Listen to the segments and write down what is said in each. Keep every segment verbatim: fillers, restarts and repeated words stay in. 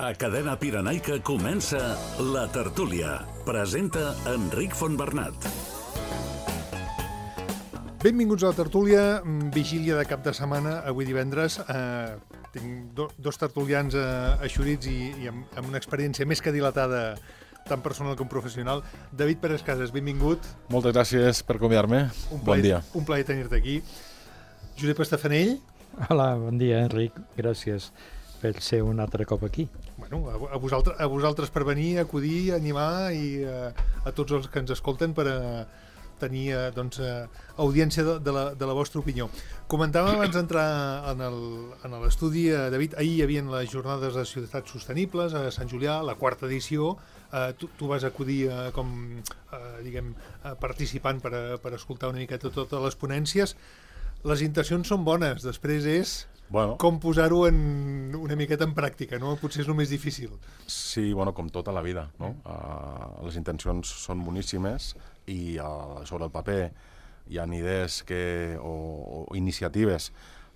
A Cadena Pirenaica comença La Tertúlia. Presenta Enric Fontbernat. Benvinguts a La Tertúlia, vigília de cap de setmana, avui divendres. Eh, tinc do, dos tertulians eh, eixorits i, i amb, amb una experiència més que dilatada, tant personal com professional. David Pérez Casas, benvingut. Moltes gràcies per convidar-me. Bon dia. Un plaer tenir-te aquí. Josep Estafanell. Hola, bon dia, Enric. Gràcies per ser un altre cop aquí. Bueno, a, a, vosaltres, a vosaltres per venir, acudir, animar i eh, a tots els que ens escolten per a tenir eh, doncs, eh, audiència de, de, la, de la vostra opinió. Comentàvem abans d'entrar en l'estudi, eh, David, ahir hi havia les jornades de ciutats sostenibles a Sant Julià, la quarta edició. Eh, tu, tu vas acudir eh, com eh, diguem, eh, participant per, a, per escoltar una miqueta totes les ponències. Les intencions són bones, després és bueno, com posar-ho en una miqueta en pràctica, no? Potser és el més difícil. Sí, bueno, com tota la vida, no? Uh, les intencions són boníssimes i uh, sobre el paper hi ha idees que, o, o iniciatives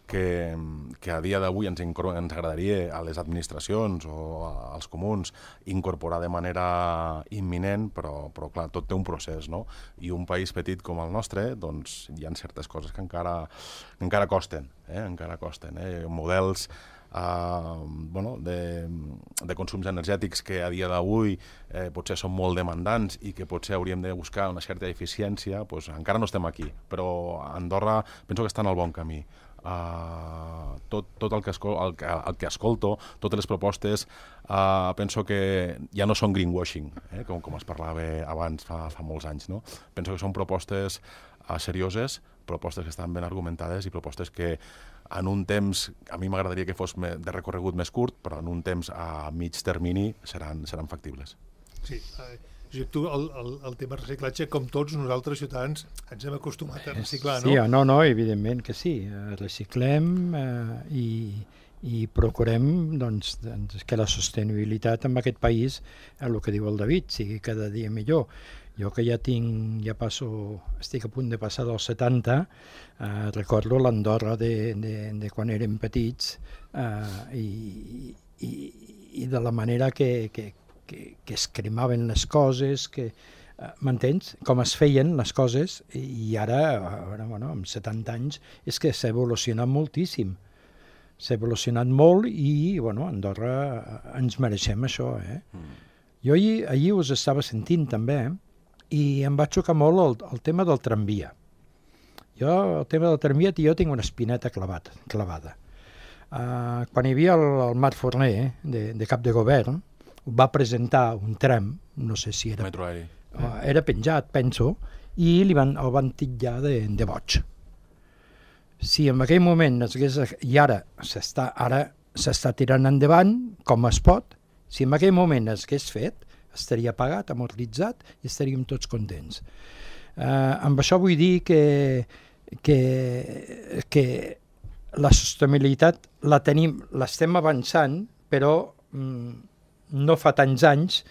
que, que a dia d'avui ens, ens agradaria a les administracions o als comuns incorporar de manera imminent, però, però clar, tot té un procés, no? I un país petit com el nostre, doncs hi ha certes coses que encara, encara costen, eh? encara costen, eh? Models Uh, bueno, de, de consums energètics que a dia d'avui eh, potser són molt demandants i que potser hauríem de buscar una certa eficiència, pues, encara no estem aquí, però Andorra penso que està en el bon camí. Uh, tot, tot el, que escol el, que, el que escolto, totes les propostes, uh, penso que ja no són greenwashing, eh, com, com es parlava abans fa, fa molts anys, no? Penso que són propostes uh, serioses, propostes que estan ben argumentades i propostes que en un temps, a mi m'agradaria que fos de recorregut més curt, però en un temps a mig termini seran, seran factibles. Sí, eh, Josep, tu el, el, el tema reciclatge, com tots nosaltres ciutadans, ens hem acostumat a reciclar, no? Sí, no, no, evidentment que sí. Reciclem eh, i, i procurem doncs, doncs, que la sostenibilitat en aquest país, el que diu el David, sigui cada dia millor. Jo que ja tinc, ja passo, estic a punt de passar dels setanta, eh, recordo l'Andorra de, de, de quan érem petits eh, i, i, i de la manera que, que, que, que es cremaven les coses, que eh, m'entens? Com es feien les coses, i ara, ara bueno, amb setanta anys, és que s'ha evolucionat moltíssim. S'ha evolucionat molt i, bueno, Andorra ens mereixem això, eh? Mm. Jo ahir, ahir us estava sentint també, eh? I em va xocar molt el, el tema del tramvia. Jo, el tema del tramvia, jo tinc una espineta clavat, clavada. Uh, quan hi havia el, el Marc Forner, eh, de, de cap de govern, va presentar un tram, no sé si era... Metro aeri. Uh, era penjat, penso, i li van, el van titllar de, de boig. Si en aquell moment es hagués... I ara s'està ara s'està tirant endavant, com es pot, si en aquell moment es hagués fet, estaria pagat, amortitzat i estaríem tots contents. Uh, amb això vull dir que, que, que la sostenibilitat la tenim, l'estem avançant, però mm, no fa tants anys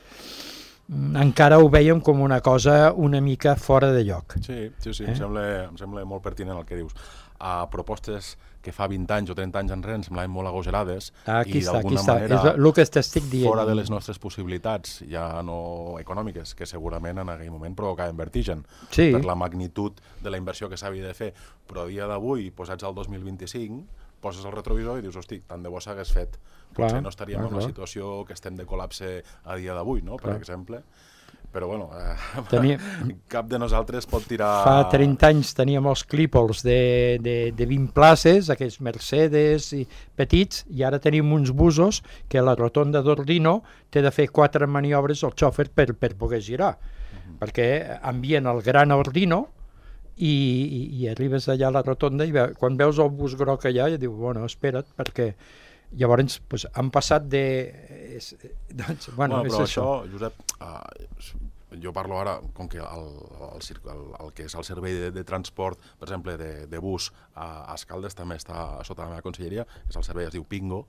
mm, encara ho veiem com una cosa una mica fora de lloc. Sí, sí, sí, eh? em, sembla, em sembla molt pertinent el que dius. A propostes que fa vint anys o trenta anys enrere em semblaven molt agogerades aquí i està, d'alguna està. manera És el que t'estic dient. fora de les nostres possibilitats, ja no econòmiques, que segurament en aquell moment provocaven vertigen sí. per la magnitud de la inversió que s'havia de fer, però a dia d'avui, posats al dos mil vint-i-cinc, poses el retrovisor i dius, hosti, tant de bo s'hagués fet. Potser clar, no estaríem clar, en la clar. situació que estem de col·lapse a dia d'avui, no? Per clar. exemple. Però bueno, eh, Tenia... cap de nosaltres pot tirar... Fa trenta anys teníem els clípols de, de, de vint places, aquells Mercedes i petits, i ara tenim uns busos que a la rotonda d'Ordino té de fer quatre maniobres el xòfer per, per poder girar, uh-huh. perquè envien el gran Ordino i, i, i arribes allà a la rotonda i ve, quan veus el bus groc allà i diu, bueno, espera't, perquè llavors pues, han passat de... És, doncs, bueno, bueno, és però això. això, Josep, uh, jo parlo ara, com que el, el, el, el que és el servei de, de transport, per exemple, de, de bus a, a Escaldes també està sota la meva conselleria, és el servei, es diu Pingo,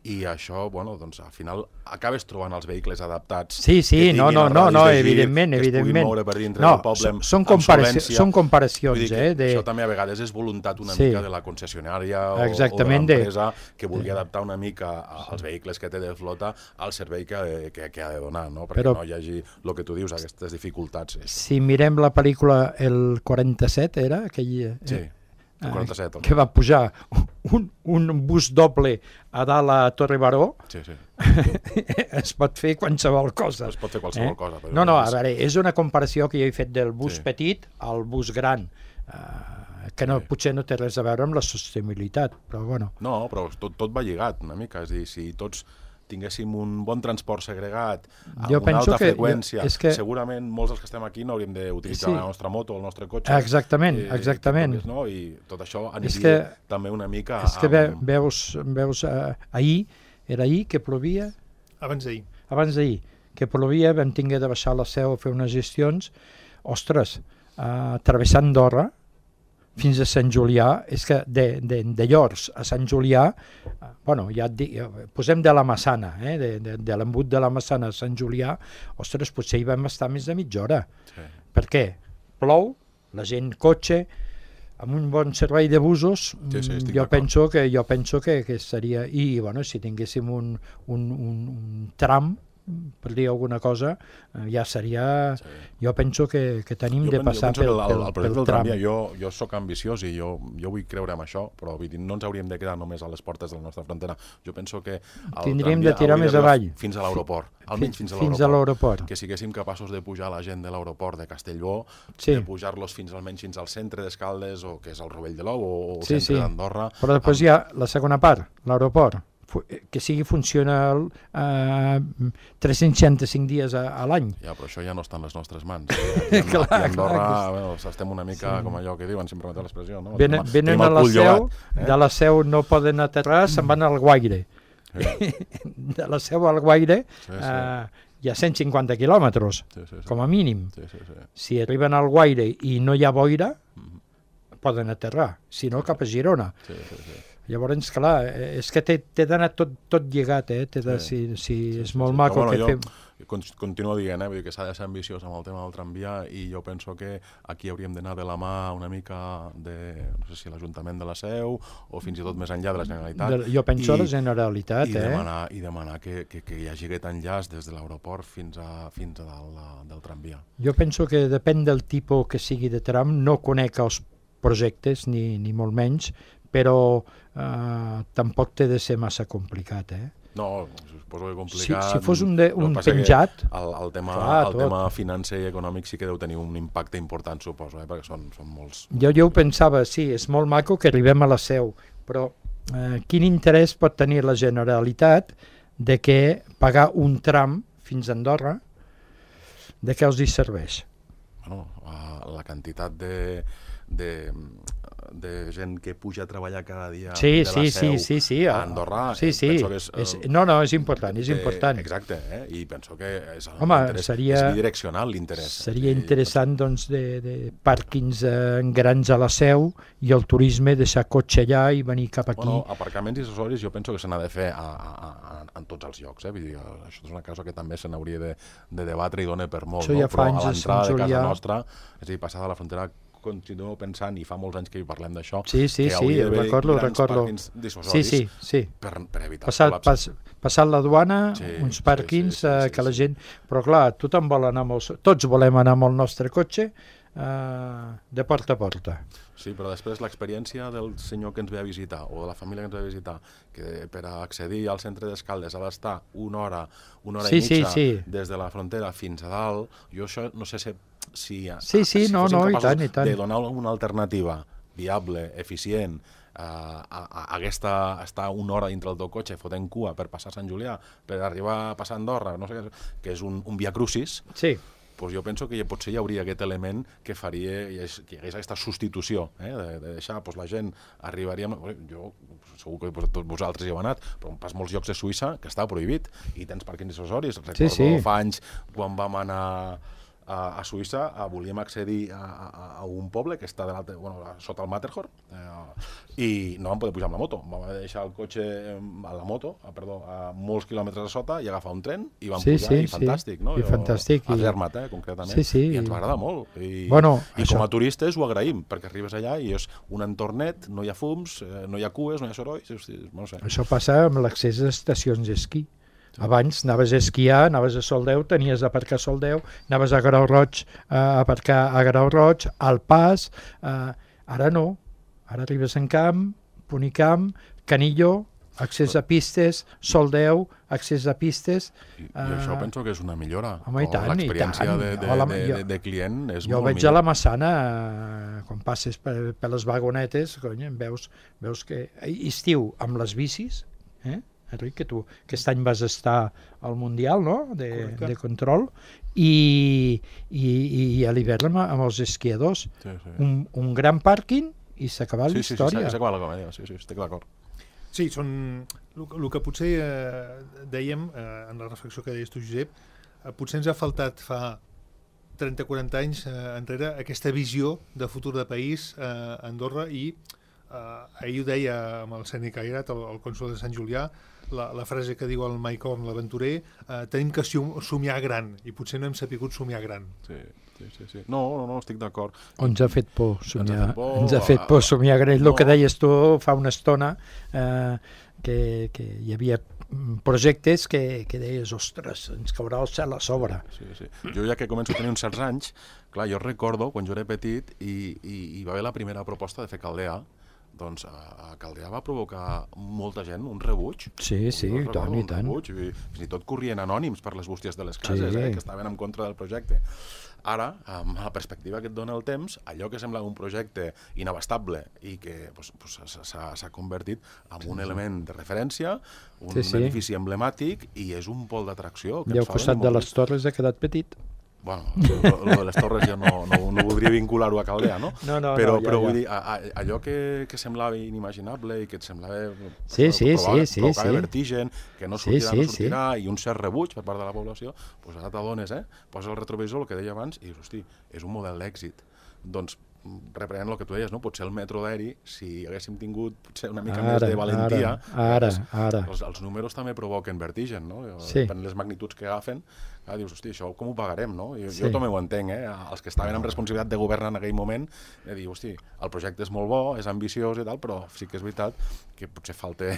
i això, bueno, doncs al final acabes trobant els vehicles adaptats. Sí, sí, no, no, no, no, evidentment, que es evidentment. puguin moure per dintre no, del poble amb, són, amb comparació, solvència. són comparacions, Vull dir que eh? De... Això també a vegades és voluntat una sí. mica de la concessionària o, Exactament, o de l'empresa de... que vulgui adaptar una mica als vehicles que té de flota al servei que, que, que ha de donar, no? Perquè Però, no hi hagi, el que tu dius, aquestes dificultats. Si mirem la pel·lícula El quaranta-set, era? Aquell, sí. Eh? quaranta-set, que va pujar un, un bus doble a dalt a Torre Baró, sí, sí. es pot fer qualsevol cosa. Es pot fer qualsevol eh? cosa. Però no, no, a veure, és una comparació que jo he fet del bus sí. petit al bus gran, uh, que no, sí. potser no té res a veure amb la sostenibilitat, però bueno. No, però tot, tot va lligat una mica, és a dir, si tots tinguéssim un bon transport segregat amb jo una alta que, freqüència, jo, que... segurament molts dels que estem aquí no hauríem d'utilitzar sí. la nostra moto o el nostre cotxe. Exactament, eh, exactament. Que, no? I tot això aniria que, també una mica... És que amb... veus, veus uh, ahir, era ahir que plovia? Abans d'ahir. Abans d'ahir, que plovia, vam tinguer de baixar la Seu a fer unes gestions. Ostres, uh, travessant Andorra, fins a Sant Julià, és que de, de, de Llors a Sant Julià, bueno, ja et dic, posem de la Massana, eh, de, de, de l'embut de la Massana a Sant Julià, ostres, potser hi vam estar més de mitja hora. Sí. Per què? Plou, la gent cotxe, amb un bon servei de busos, sí, sí, jo, penso que, jo penso que, que seria... I, bueno, si tinguéssim un, un, un, un tram, per dir alguna cosa, ja seria... Sí. Jo penso que, que tenim jo de passar pel, pel, pel, pel, el pel del tram. Tramvia, jo, jo sóc ambiciós i jo, jo vull creure en això, però vull dir, no ens hauríem de quedar només a les portes de la nostra frontera. Jo penso que el tindríem de tirar més avall. Fins a l'aeroport, almenys fins a fins l'aeroport. Que siguéssim capaços de pujar la gent de l'aeroport de Castellbó, sí. de pujar-los fins almenys fins al centre d'Escaldes, o que és el Rovell de l'Ou, o el sí, centre sí. d'Andorra. Però després amb... hi ha la segona part, l'aeroport, que sigui funcional eh, tres-cents seixanta-cinc dies a, a l'any. Ja, però això ja no està en les nostres mans. I, i, clar, i Andorra, clar, bueno, estem una mica sí. com allò que diuen, sempre m'ha l'expressió, no? Venen, venen a la Seu, eh? De la Seu no poden aterrar, se'n van al Guaire. Sí. De la Seu al Guaire sí, sí. Eh, hi ha cent cinquanta quilòmetres, sí, sí, sí. com a mínim. Sí, sí, sí. Si arriben al Guaire i no hi ha boira, mm-hmm. poden aterrar, si no cap a Girona. Sí, sí, sí. Llavors, clar, és que té d'anar tot, tot lligat, eh? De, sí. Si, si sí, és sí, molt sí. maco bueno, que fem... Continuo dient, eh? Vull dir que s'ha de ser ambiciós amb el tema del tramvia i jo penso que aquí hauríem d'anar de la mà una mica de, no sé si l'Ajuntament de la Seu o fins i tot més enllà de la Generalitat. De, jo penso I, a la Generalitat, i eh? Demanar, I demanar que, que, que hi hagi aquest enllaç des de l'aeroport fins a, fins a dalt del tramvia. Jo penso que depèn del tipus que sigui de tram, no conec els projectes, ni, ni molt menys, però eh, tampoc té de ser massa complicat, eh? No, suposo que complicat... Si, si fos un, de, un penjat... El, el, tema, clar, el tema financer i econòmic sí que deu tenir un impacte important, suposo, eh? Perquè són, són molts... Jo, jo ho pensava, sí, és molt maco que arribem a la Seu, però eh, quin interès pot tenir la Generalitat de que pagar un tram fins a Andorra, de què els hi serveix? Bueno, la quantitat de... de de gent que puja a treballar cada dia sí, de la sí, Seu sí, sí, sí. a Andorra, sí, sí. penso que és... és no, no, és important, és eh, important. Exacte, eh? I penso que és, Home, seria, és bidireccional l'interès. Seria interessant, doncs, de, de pàrquings eh, grans a la Seu i el turisme, deixar cotxe allà i venir cap aquí. Bueno, aparcaments i accessoris jo penso que se n'ha de fer a, a, a, en tots els llocs, eh? Vull dir, això és una cosa que també se n'hauria de, de debatre i dona per molt, això ja no? Però a anys, l'entrada de casa nostra, és a dir, passada la frontera, continuo pensant, i fa molts anys que hi parlem d'això, sí, sí, que sí, hauria d'haver recordo, grans recordo. pàrquings dissuasoris sí, sí, sí. per, per evitar passat, el col·lapse. Pas, passat la duana, sí, uns pàrquings sí, sí, sí, eh, que sí, la gent... Però clar, tothom vol anar amb el... tots volem anar amb el nostre cotxe eh, de porta a porta. Sí, però després l'experiència del senyor que ens ve a visitar o de la família que ens ve a visitar, que per accedir al centre d'Escaldes ha d'estar una hora, una hora sí, i mitja sí, sí. des de la frontera fins a dalt, jo això no sé si, si, sí, sí, si no, fossin no, capaços i tant, i tant. de donar una alternativa viable, eficient, uh, a, a, hagués estar una hora dintre del teu cotxe fotent cua per passar Sant Julià, per arribar a passar Andorra, no sé, que és un, un via crucis, sí. Pues jo penso que potser hi hauria aquest element que faria que hi hagués aquesta substitució, eh? de, de deixar, pues, la gent arribaria... Jo segur que tots vosaltres hi heu anat, però pas molts llocs de Suïssa que està prohibit i tens pàrquings accessoris. Recordo sí, sí. fa anys quan vam anar a, a Suïssa a, volíem accedir a, a, a un poble que està de bueno, sota el Matterhorn eh, i no vam poder pujar amb la moto. Vam deixar el cotxe a la moto, a, perdó, a molts quilòmetres a sota i agafar un tren i vam sí, pujar sí, i fantàstic. Sí. No? I fantàstic. A Zermatt, eh, concretament. Sí, sí. I ens va agradar molt. I, bueno, i això... com a turistes ho agraïm, perquè arribes allà i és un entornet, no hi ha fums, eh, no hi ha cues, no hi ha sorolls. Hosti, no sé. Això passa amb l'accés a estacions d'esquí. Abans anaves a esquiar, anaves a Soldeu, tenies d'aparcar a Soldeu, anaves a Grau Roig a aparcar a Grau Roig, al Pas, eh, ara no, ara arribes en camp, Punicamp, Canillo, accés a pistes, Soldeu, accés a pistes... I, i uh, això penso que és una millora. Home, i tant, l'experiència i tant. de, de, Hola, de, jo, de, de client és jo molt veig millor. a la Massana, eh, quan passes per, per les vagonetes, cony, veus, veus que estiu amb les bicis, eh? Enric, que tu aquest any vas estar al Mundial, no?, de, de control, i, i, i a l'hivern amb, amb els esquiadors. Sí, sí. Un, un gran pàrquing i s'ha acabat sí, la història. Sí, sí, s'ha acabat la comèdia, sí, sí, estic d'acord. Sí, són... El que potser eh, dèiem, eh, en la reflexió que deies tu, Josep, eh, potser ens ha faltat fa trenta o quaranta anys eh, enrere aquesta visió de futur de país eh, a Andorra i eh, ahir ho deia amb el Sènic Airat, el, el cònsol de Sant Julià, la, la frase que diu el Mike Horn, l'aventurer, eh, tenim que somiar gran i potser no hem sapigut somiar gran. Sí, sí, sí. sí. No, no, no, estic d'acord. Ens ha fet por somiar, ens ha fet por, ens ha fet por somiar gran. El no. que deies tu fa una estona, eh, que, que hi havia projectes que, que deies, ostres, ens caurà el cel a sobre. Sí, sí. Jo ja que començo a tenir uns certs anys, clar, jo recordo quan jo era petit i, i, i va haver la primera proposta de fer Caldea, doncs a Caldea va provocar molta gent un rebuig. Sí, sí, i tant, i tant. Rebuig, i fins i tot corrien anònims per les bústies de les cases, sí. eh, que estaven en contra del projecte. Ara, amb la perspectiva que et dona el temps, allò que sembla un projecte inabastable i que pues, pues, s'ha convertit en un element de referència, un sí, sí. edifici emblemàtic i és un pol d'atracció. I al costat de les torres ha quedat petit. Bueno, lo, lo de les torres jo no, no, no voldria vincular-ho a Caldea, no? No, no, però, no, ja, però vull ja. dir, a, a, allò que, que semblava inimaginable i que et semblava sí, sí, provava, sí, sí, provocava sí. vertigen, que no sí, sortirà, sí, no sortirà, sí. i un cert rebuig per part de la població, doncs ara t'adones, eh? Posa el retrovisor, el que deia abans, i dius, hosti, és un model d'èxit. Doncs, reprenent el que tu deies, no? Potser el metro d'aeri, si haguéssim tingut potser una mica ara, més de valentia, ara, ara, ara. Els, els números també provoquen vertigen, no? Sí. Depèn les magnituds que agafen, ah, dius, hosti, això com ho pagarem, no? Jo, sí. jo també ho entenc, eh? Els que estaven amb responsabilitat de govern en aquell moment, de dir, hosti, el projecte és molt bo, és ambiciós i tal, però sí que és veritat que potser falta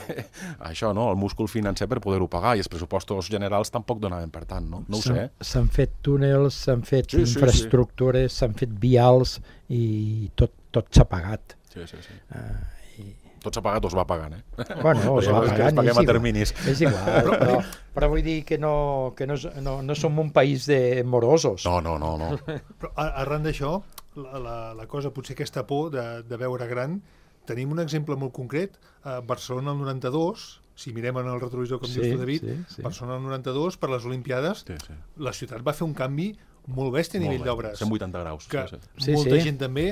això, no? El múscul financer per poder-ho pagar, i els pressupostos generals tampoc donaven per tant, no? No ho sé. S'han fet túnels, s'han fet sí, sí, infraestructures, s'han sí. fet vials, i tot, tot s'ha pagat. Sí, sí, sí. Uh, i... Tot s'ha pagat o es va pagant, eh? Bueno, es va pagant, paguem a terminis. És igual, però, però vull dir que no, que no, no, no som un país de morosos. No, no, no. no. Però arran d'això, la, la, la cosa, potser aquesta por de, de veure gran, tenim un exemple molt concret. A Barcelona el noranta-dos, si mirem en el retrovisor, com sí, dius tu, David, sí, sí. Barcelona el noranta-dos, per les Olimpiades, sí, sí. la ciutat va fer un canvi molt bèstia a nivell d'obres. cent vuitanta graus. Que sí, sí. molta sí. gent també,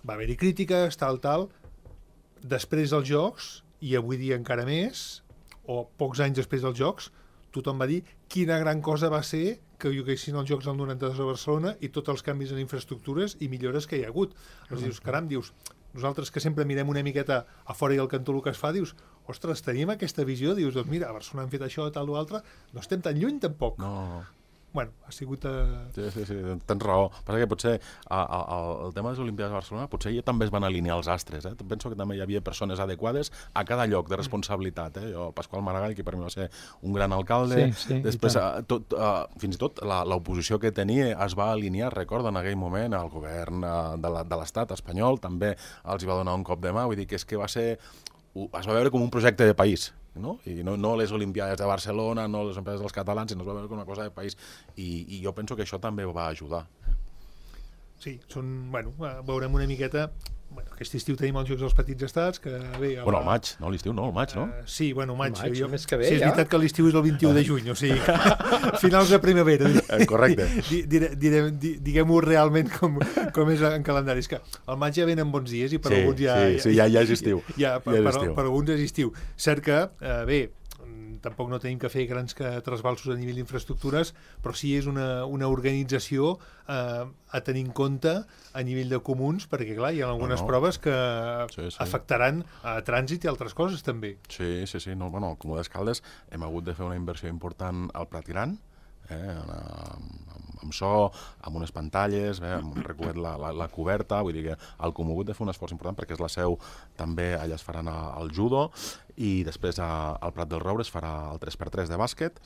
va haver-hi crítiques, tal, tal. Després dels Jocs, i avui dia encara més, o pocs anys després dels Jocs, tothom va dir quina gran cosa va ser que hi haguessin els Jocs del noranta-dos a Barcelona i tots els canvis en infraestructures i millores que hi ha hagut. Llavors dius, caram, dius, nosaltres que sempre mirem una miqueta a fora i al cantó el que es fa, dius, ostres, tenim aquesta visió, dius, doncs mira, a Barcelona han fet això, tal o altre, no estem tan lluny tampoc. No, no. Bueno, ha sigut... A... Sí, sí, sí, tens raó. Passa que potser a, a, a, el tema de les Olimpiades de Barcelona potser ja també es van alinear els astres. Eh? Penso que també hi havia persones adequades a cada lloc de responsabilitat. Eh? Jo, Pasqual Maragall, que per mi va ser un gran alcalde, sí, sí, després a, tot, a, fins i tot l'oposició que tenia es va alinear, recordo, en aquell moment, al govern a, de l'Estat espanyol, també els hi va donar un cop de mà, vull dir que és que va ser... es va veure com un projecte de país, no? I no, no les Olimpiades de Barcelona, no les empreses dels catalans, sinó es va veure com una cosa de país, i, i jo penso que això també va ajudar. Sí, són, bueno, veurem una miqueta... Bueno, aquest estiu tenim els Jocs dels Petits Estats, que bé... La... Bueno, al maig, no? L'estiu no, al maig, no? Uh, sí, bueno, maig. maig jo... més que bé, sí, és ja. veritat que l'estiu és el vint-i-u de juny, o sigui, finals de primavera. Eh, correcte. Di, di, di, di, Diguem-ho realment com, com és en calendari. És que al maig ja venen bons dies i per sí, alguns ja... Sí, sí, ja, ja és estiu. Ja, per, ja és per, estiu. per alguns és estiu. Cert que, eh, bé, tampoc no tenim que fer grans que trasbalsos a nivell d'infraestructures, però sí és una, una organització eh, a tenir en compte a nivell de comuns, perquè clar, hi ha algunes no, no. proves que sí, sí. afectaran a trànsit i altres coses també. Sí, sí, sí. No, bueno, al Comú d'Escaldes hem hagut de fer una inversió important al Pratiran, eh, amb, amb so, amb unes pantalles, eh, hem recobert la, la, la coberta, vull dir que al Comú ha hagut de fer un esforç important perquè és la seu, també allà es faran el judo, i després a, al Prat del Roure es farà el tres per tres de bàsquet,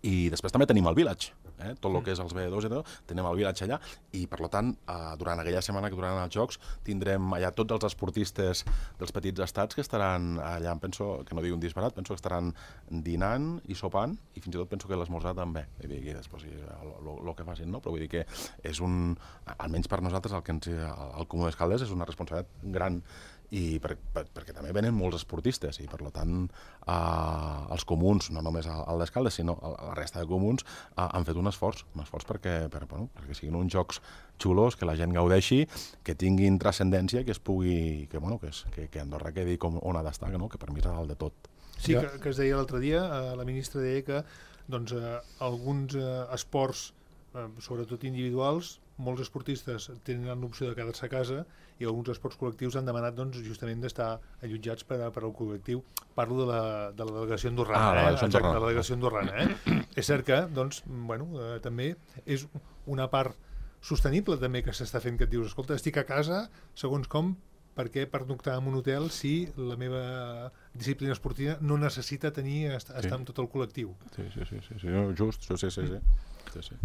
i després també tenim el Village, eh? Tot el que és els B dos i tot, tenim el Village allà, i per tant, eh, durant aquella setmana que duraran els Jocs, tindrem allà tots els esportistes dels petits estats que estaran allà, penso, que no dic un disbarat, penso que estaran dinant i sopant, i fins i tot penso que l'esmorzar també, vull dir que després el que facin, no? Però vull dir que és un, almenys per nosaltres, el que ens, el Comú d'Escaldes és una responsabilitat gran, i per, per, perquè també venen molts esportistes i per tant eh, els comuns, no només el d'Escaldes sinó la resta de comuns eh, han fet un esforç, un esforç perquè, per, bueno, perquè siguin uns jocs xulos, que la gent gaudeixi, que tinguin transcendència, que es pugui, que, bueno, que, es, que, que Andorra quedi com on ha d'estar, no? Que per mi és dalt de tot. Sí, que, que es deia l'altre dia, eh, la ministra deia que doncs, eh, alguns eh, esports, eh, sobretot individuals, molts esportistes tenen l'opció de quedar-se a casa i alguns esports col·lectius han demanat doncs, justament d'estar allotjats per, per al col·lectiu. Parlo de la, de la delegació andorrana. Ah, la delegació eh? Exacte, andorrana. la delegació andorrana. Eh? És cert que doncs, bueno, eh, també és una part sostenible també que s'està fent, que et dius, escolta, estic a casa, segons com, perquè pernoctar en un hotel si la meva disciplina esportiva no necessita tenir estar, sí. estar amb tot el col·lectiu. Sí, sí, sí, sí, sí. Just, sí, sí, sí. sí, sí.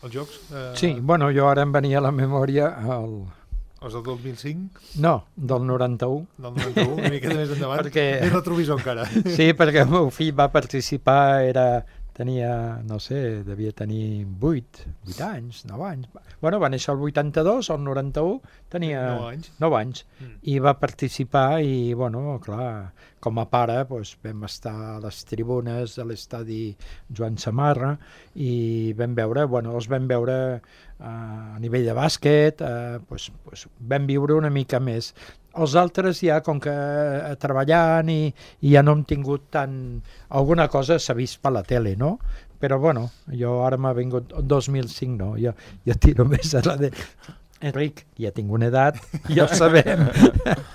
Els jocs? Eh, Sí, bueno, jo ara em venia a la memòria el... Els del dos mil cinc? No, del noranta-u. Del noranta-u, una miqueta més endavant. Perquè... Més retrovisor encara. Sí, perquè el meu fill va participar, era... tenia, no sé, devia tenir vuit, vuit anys, nou anys. Bueno, va néixer el vuitanta-dos, el noranta-u, tenia nou anys. nou anys. Mm. I va participar i, bueno, clar, com a pare doncs, vam estar a les tribunes de l'estadi Joan Samarra i vam veure, bueno, els vam veure eh, a nivell de bàsquet, eh, doncs, doncs, vam viure una mica més. Els altres ja, com que eh, treballant i, i ja no hem tingut tant... Alguna cosa s'ha vist per la tele, no? Però, bueno, jo ara m'ha vingut... dos mil cinc no, jo, jo tiro més a la de... Enric, ja tinc una edat, ja ho sabem.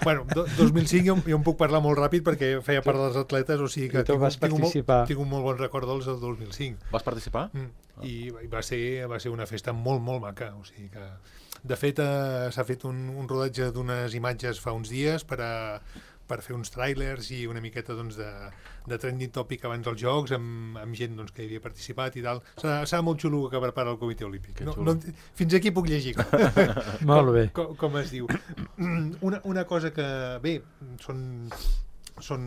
Bueno, do, dos mil cinc jo, jo em puc parlar molt ràpid perquè feia part dels atletes, o sigui que tu tinc, vas tinc, un participar. molt, tinc un molt bon record dels del dos mil cinc. Vas participar? Mm. I, i va, ser, va ser una festa molt, molt maca, o sigui que... De fet, eh, s'ha fet un, un rodatge d'unes imatges fa uns dies per, a, per fer uns trailers i una miqueta doncs, de, de trending topic abans dels Jocs, amb, amb gent doncs, que hi havia participat i tal. Serà, serà molt xulo que prepara el Comitè Olímpic. No, no, fins aquí puc llegir. Molt bé. Com, com, com es diu. Una, una cosa que, bé, són... són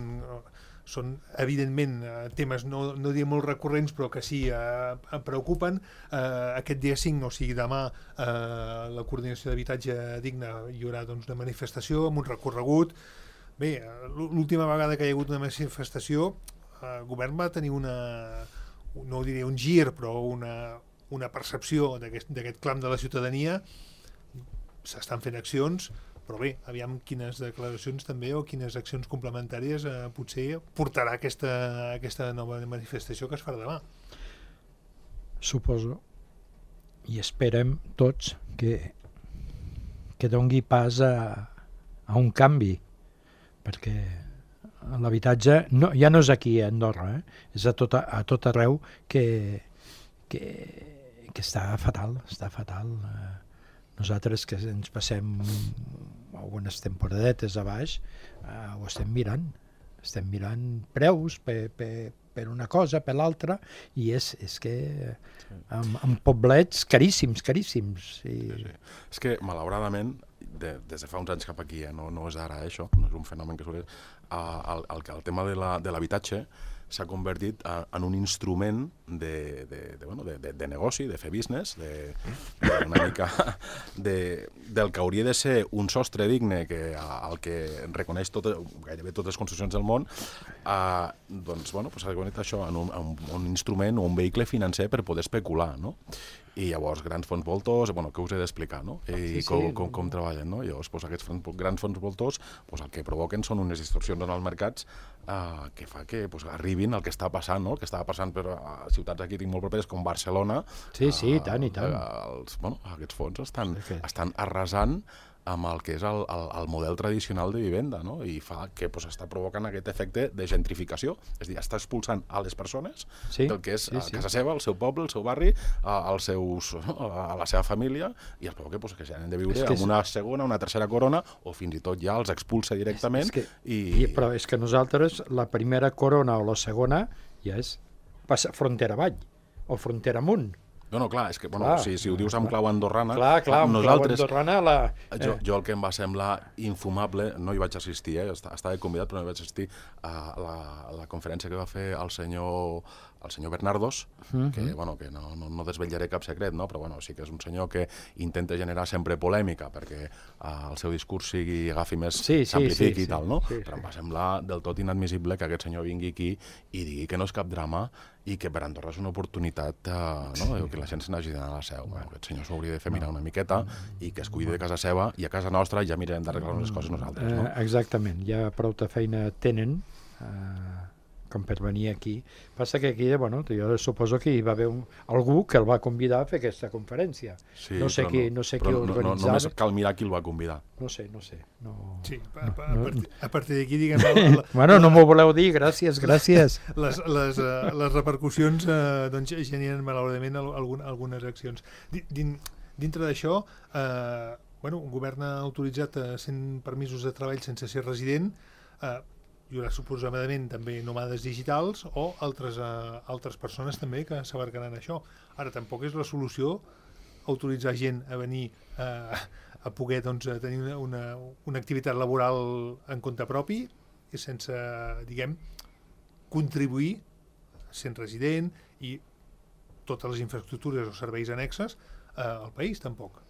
són, evidentment, temes no, no diré molt recurrents, però que sí eh, em preocupen. Eh, aquest dia cinc, o sigui, demà, eh, la Coordinació d'Habitatge Digne hi haurà doncs, una manifestació amb un recorregut. Bé, l'última vegada que hi ha hagut una manifestació, el govern va tenir una, no ho diré un gir, però una, una percepció d'aquest clam de la ciutadania. S'estan fent accions, però bé, aviam quines declaracions també o quines accions complementàries eh, potser portarà aquesta, aquesta nova manifestació que es farà demà. Suposo, i esperem tots que, que dongui pas a, a un canvi, perquè l'habitatge no, ja no és aquí a Andorra, eh? És a tot, a tot arreu que, que, que està fatal, està fatal. Nosaltres que ens passem algunes temporadetes a baix, eh, ho estem mirant, estem mirant preus per, per, per una cosa, per l'altra, i és, és que amb, amb poblets caríssims, caríssims. I... Sí, sí. És que, malauradament, de, des de fa uns anys cap aquí, eh, no, no és ara això, no és un fenomen que surt, eh, el, el, el tema de l'habitatge s'ha convertit en un instrument de, de, de, bueno, de, de, de negoci, de fer business, de, de una mica de, del que hauria de ser un sostre digne que, al que reconeix tot, gairebé totes les construccions del món, eh, doncs, bueno, pues s'ha convertit això en un, en un instrument o un vehicle financer per poder especular, no? i llavors grans fons voltors, bueno, què us he d'explicar, no? I sí, sí. com, com, com treballen, no? Llavors, doncs, aquests fons, grans fons voltors, doncs, el que provoquen són unes distorsions en els mercats eh, que fa que doncs, arribin el que està passant, no? El que estava passant per a ciutats aquí tinc molt properes com Barcelona. Sí, sí, i tant, i tant. Eh, els, bueno, aquests fons estan, Sí, que- estan arrasant amb el que és el, el, el model tradicional de vivenda, no? I fa que pues, està provocant aquest efecte de gentrificació, és a dir, està expulsant a les persones Sí, del que és sí, a sí. casa seva, el seu poble, el seu barri, a, als seus, a la seva família, i els provoca pues, que s'han de viure És que és- amb una segona, una tercera corona, o fins i tot ja els expulsa directament. És que, i... i, però és que nosaltres, la primera corona o la segona, ja és passa frontera avall, o frontera amunt. No, no, clar, és que bueno, Clar, si, si ho dius amb clau andorrana... Clar, clar, amb nosaltres, clau andorrana, la... Jo, eh, jo el que em va semblar infumable, no hi vaig assistir, eh? estava convidat però no hi vaig assistir a la, a la conferència que va fer el senyor, el senyor Bernardos, Mhm. que, bueno, que no, no, no desvetllaré cap secret, no? Però bueno, sí que és un senyor que intenta generar sempre polèmica perquè eh, el seu discurs sigui, agafi més, Sí, sí, s'amplifiqui sí, i tal, sí, no? sí, Però sí. em va semblar del tot inadmissible que aquest senyor vingui aquí i digui que no és cap drama i que per Andorra és una oportunitat eh, no? que la gent se n'hagi d'anar a la seu. Bueno, aquest senyor s'hauria de fer mirar una miqueta i que es cuidi de casa seva i a casa nostra ja mirarem d'arreglar unes coses nosaltres. No? eh, exactament, ja prou de feina tenen, eh, com per venir aquí. Passa que aquí, bueno, jo suposo que hi va haver un, algú que el va convidar a fer aquesta conferència. Sí, no sé però qui, no sé qui però no, no, organitzava. només cal mirar qui el va convidar. No sé, no sé. No... Sí, a, a, a, no. partir, a partir d'aquí, diguem, la, la, Bueno, no m'ho voleu dir, gràcies, gràcies. les, les, uh, les repercussions uh, doncs, generen malauradament al- algun, algunes accions. Di- Din, dintre d'això, eh, bueno, un govern ha autoritzat uh, cent permisos de treball sense ser resident, eh, hi haurà suposadament també nòmades digitals o altres, uh, altres persones també que s'abarcaran això. Ara, tampoc és la solució autoritzar gent a venir eh, a poder doncs, a tenir una, una, una activitat laboral en compte propi i sense, diguem, contribuir sent resident i totes les infraestructures o serveis annexes eh, al país, tampoc.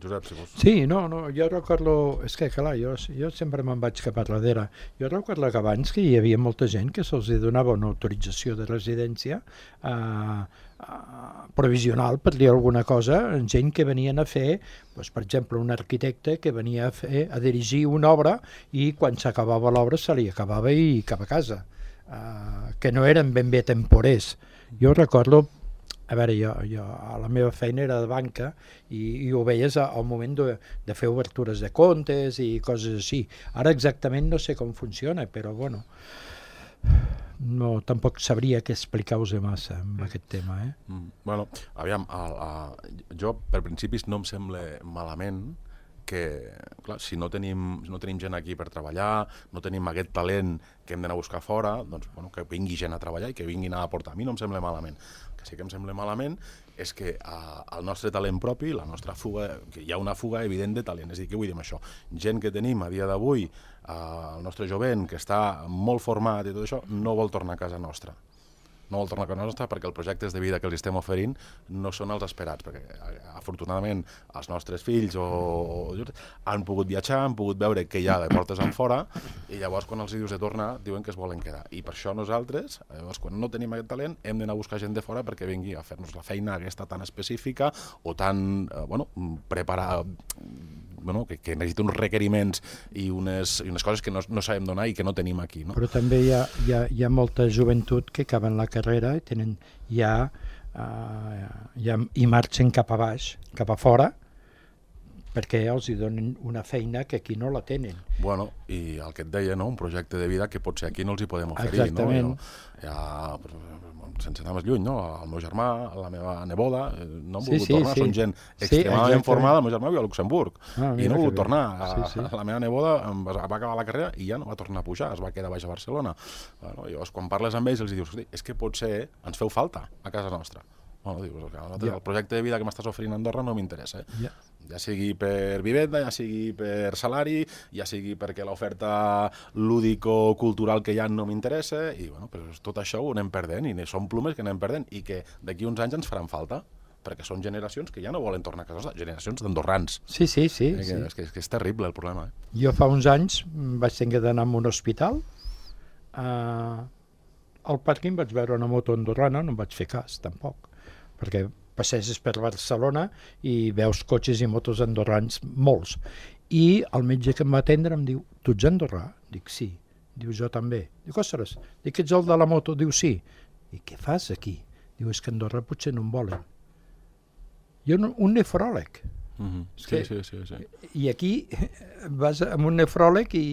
Josep, si vols... Sí, no, no, jo recordo, és que clar, jo, jo sempre me'n vaig cap a darrere. Jo recordo que abans que hi havia molta gent que se'ls donava una autorització de residència eh, eh, provisional, per dir alguna cosa, gent que venien a fer, doncs, per exemple, un arquitecte que venia a, fer, a dirigir una obra i quan s'acabava l'obra se li acabava i cap a casa, eh, que no eren ben bé temporers. Jo recordo, a veure, jo, jo a la meva feina era de banca i, i ho veies al moment de, de fer obertures de comptes i coses així. Ara exactament no sé com funciona, però bueno, no, tampoc sabria què explicar-vos massa amb aquest tema. Eh? Mm, bueno, aviam, a, a, jo per principis no em sembla malament que, clar, si no tenim, si no tenim gent aquí per treballar, no tenim aquest talent que hem d'anar a buscar fora, doncs, bueno, que vingui gent a treballar i que vinguin a aportar. A mi no em sembla malament. El que sí que em sembla malament és que uh, el nostre talent propi, la nostra fuga, que hi ha una fuga evident de talent. És a dir, què vull dir amb això? Gent que tenim a dia d'avui, uh, el nostre jovent, que està molt format i tot això, no vol tornar a casa nostra. No vol tornar a casa nostra perquè els projectes de vida que els estem oferint no són els esperats, perquè afortunadament els nostres fills o, o han pogut viatjar, han pogut veure què hi ha de portes en fora i llavors quan els dius de tornar diuen que es volen quedar. I per això nosaltres, llavors, quan no tenim aquest talent, hem d'anar a buscar gent de fora perquè vingui a fer-nos la feina aquesta tan específica o tan, eh, bueno, preparar, bueno, que, que necessita uns requeriments i unes, i unes coses que no, no sabem donar i que no tenim aquí. No? Però també hi ha, hi, ha, hi ha molta joventut que acaben la carrera i tenen ja, uh, ja i marxen cap a baix, cap a fora, perquè els hi donen una feina que aquí no la tenen. Bueno, i el que et deia, no? Un projecte de vida que potser aquí no els hi podem oferir. Exactament. No? Jo, ja, sense anar més lluny, no? El meu germà, la meva neboda, no han Sí, volgut sí, tornar, sí. són gent Sí, extremadament exactament. formada. El meu germà viu a Luxemburg Ah, i mira no ha que volgut bé. tornar. Sí, sí. La meva neboda va acabar la carrera i ja no va tornar a pujar, es va quedar baix a Barcelona. Bueno, llavors, quan parles amb ells, els dius, és que potser ens feu falta a casa nostra. Bueno, dius, el projecte de vida que m'estàs oferint a Andorra no m'interessa. Eh? Ja. Ja sigui per vivenda, ja sigui per salari, ja sigui perquè l'oferta lúdico-cultural que hi ha no m'interessa, i bueno, pues tot això ho anem perdent, i són plomes que anem perdent, i que d'aquí uns anys ens faran falta, perquè són generacions que ja no volen tornar a casa nostra, generacions d'andorrans. Sí, sí, sí. Eh, sí. que, és, que, és que és terrible el problema. Eh? Jo fa uns anys vaig tenir d'anar a un hospital. Uh, al pàrquing vaig veure una moto andorrana, no em vaig fer cas, tampoc. perquè passeges per Barcelona i veus cotxes i motos andorrans, molts. I el metge que em va atendre em diu, tu ets andorrà? Dic, sí. Diu, jo també. Dic, ostres, dic, ets el de la moto? Diu, sí. I què fas aquí? Diu, és que a Andorra potser no em volen. Jo, no, un nefròleg. Mm-hmm. Sí, sí, sí, sí. I aquí vas amb un nefròleg i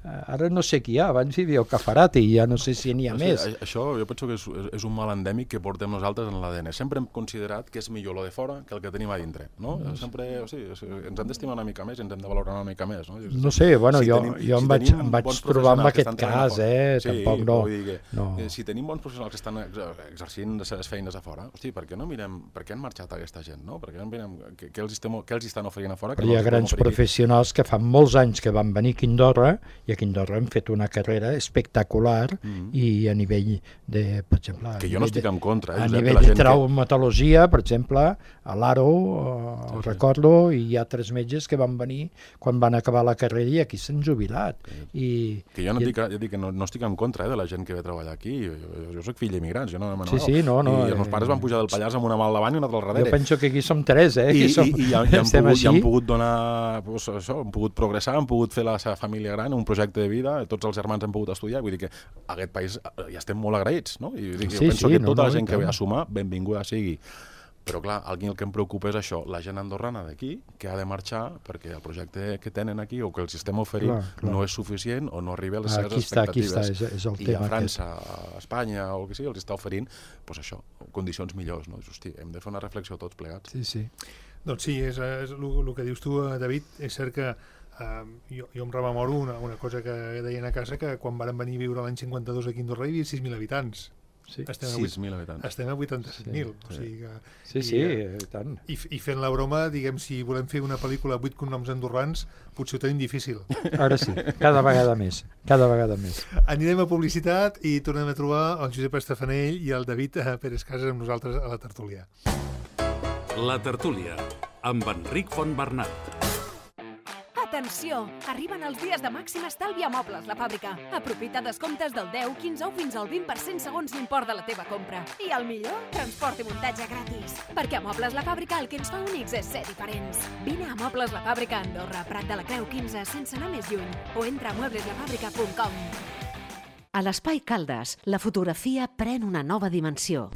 ara no sé qui hi ha, abans hi havia el Cafarati i ja no sé si n'hi ha no més. sé, això jo penso que és, és un mal endèmic que portem nosaltres en l'A D N. Sempre hem considerat que és millor lo de fora que el que tenim a dintre, no? No Sempre, o sigui, o sigui, ens hem d'estimar una mica més, ens hem de valorar una mica més, no? No sé, bueno, si jo, tenim, jo em si vaig, em vaig trobar amb aquest cas, eh? Sí, tampoc no. Que, no. Si tenim bons professionals que estan exercint les seves feines a fora, hosti, per què no mirem, per què han marxat aquesta gent, no? Per què no mirem què, què, els, estem, què els estan oferint a fora? Però hi ha grans professionals que fan molts anys que van venir a Quindorra i a Quindorra hem fet una carrera espectacular mm-hmm. i a nivell de, per exemple... Que jo no estic en contra, eh, a Josep, nivell de, de traumatologia, que... per exemple, a l'Aro, eh, sí, recordo, i hi ha tres metges que van venir quan van acabar la carrera i aquí s'han jubilat. Sí. I, que jo no, i... dic, jo dic que no, no estic en contra eh, de la gent que ve a treballar aquí. Jo, jo, jo soc fill d'immigrants, jo no me sí, sí, no, no, I els meus pares van pujar del Pallars amb una mà al davant i una altra al darrere. Jo penso que aquí som tres, eh? I, som, i, i, ja, ja, han pogut, ja han pogut donar, pues, això, han pogut progressar, han pogut fer la seva família gran, un projecte de vida, tots els germans han pogut estudiar, vull dir que a aquest país ja estem molt agraïts, no? I dic, sí, jo penso sí, que no, tota no, la gent que ve no. a sumar, benvinguda sigui. Però clar, el que em preocupa és això, la gent andorrana d'aquí, que ha de marxar perquè el projecte que tenen aquí o que els estem oferint clar, clar. no és suficient o no arriba a les seves aquí està, expectatives. Aquí està, és, és el I tema a França, a Espanya o el que sigui, els està oferint pues això, condicions millors. No? Hosti, hem de fer una reflexió tots plegats. Sí, sí. Doncs sí, és, és el que dius tu, David, és cert que Uh, jo, jo em rememoro una, una cosa que deien a casa, que quan varen venir a viure l'any cinquanta-dos aquí a Andorra hi havia sis mil habitants. Sí. sis mil habitants. Estem a vuitanta-set mil. Sí. O sigui que, sí, sí, i, tant. I, I fent la broma, diguem, si volem fer una pel·lícula vuit cognoms andorrans, potser ho tenim difícil. Ara sí, cada vegada més, cada vegada més. Anirem a publicitat i tornem a trobar el Josep Estefanell i el David Pérez Casas amb nosaltres a la tertúlia. La tertúlia, amb Enric Fontbernat. Atenció! Arriben els dies de màxim estalvi a Mobles La Fàbrica. Aprofita descomptes del deu, quinze o fins al vint per cent segons l'import de la teva compra. I el millor? Transport i muntatge gratis. Perquè a Mobles La Fàbrica el que ens fa únics és ser diferents. Vine a Mobles La Fàbrica a Andorra, Prat de la Creu quinze, sense anar més lluny. O entra a muebles la fàbrica punt com. A l'Espai Caldes, la fotografia pren una nova dimensió.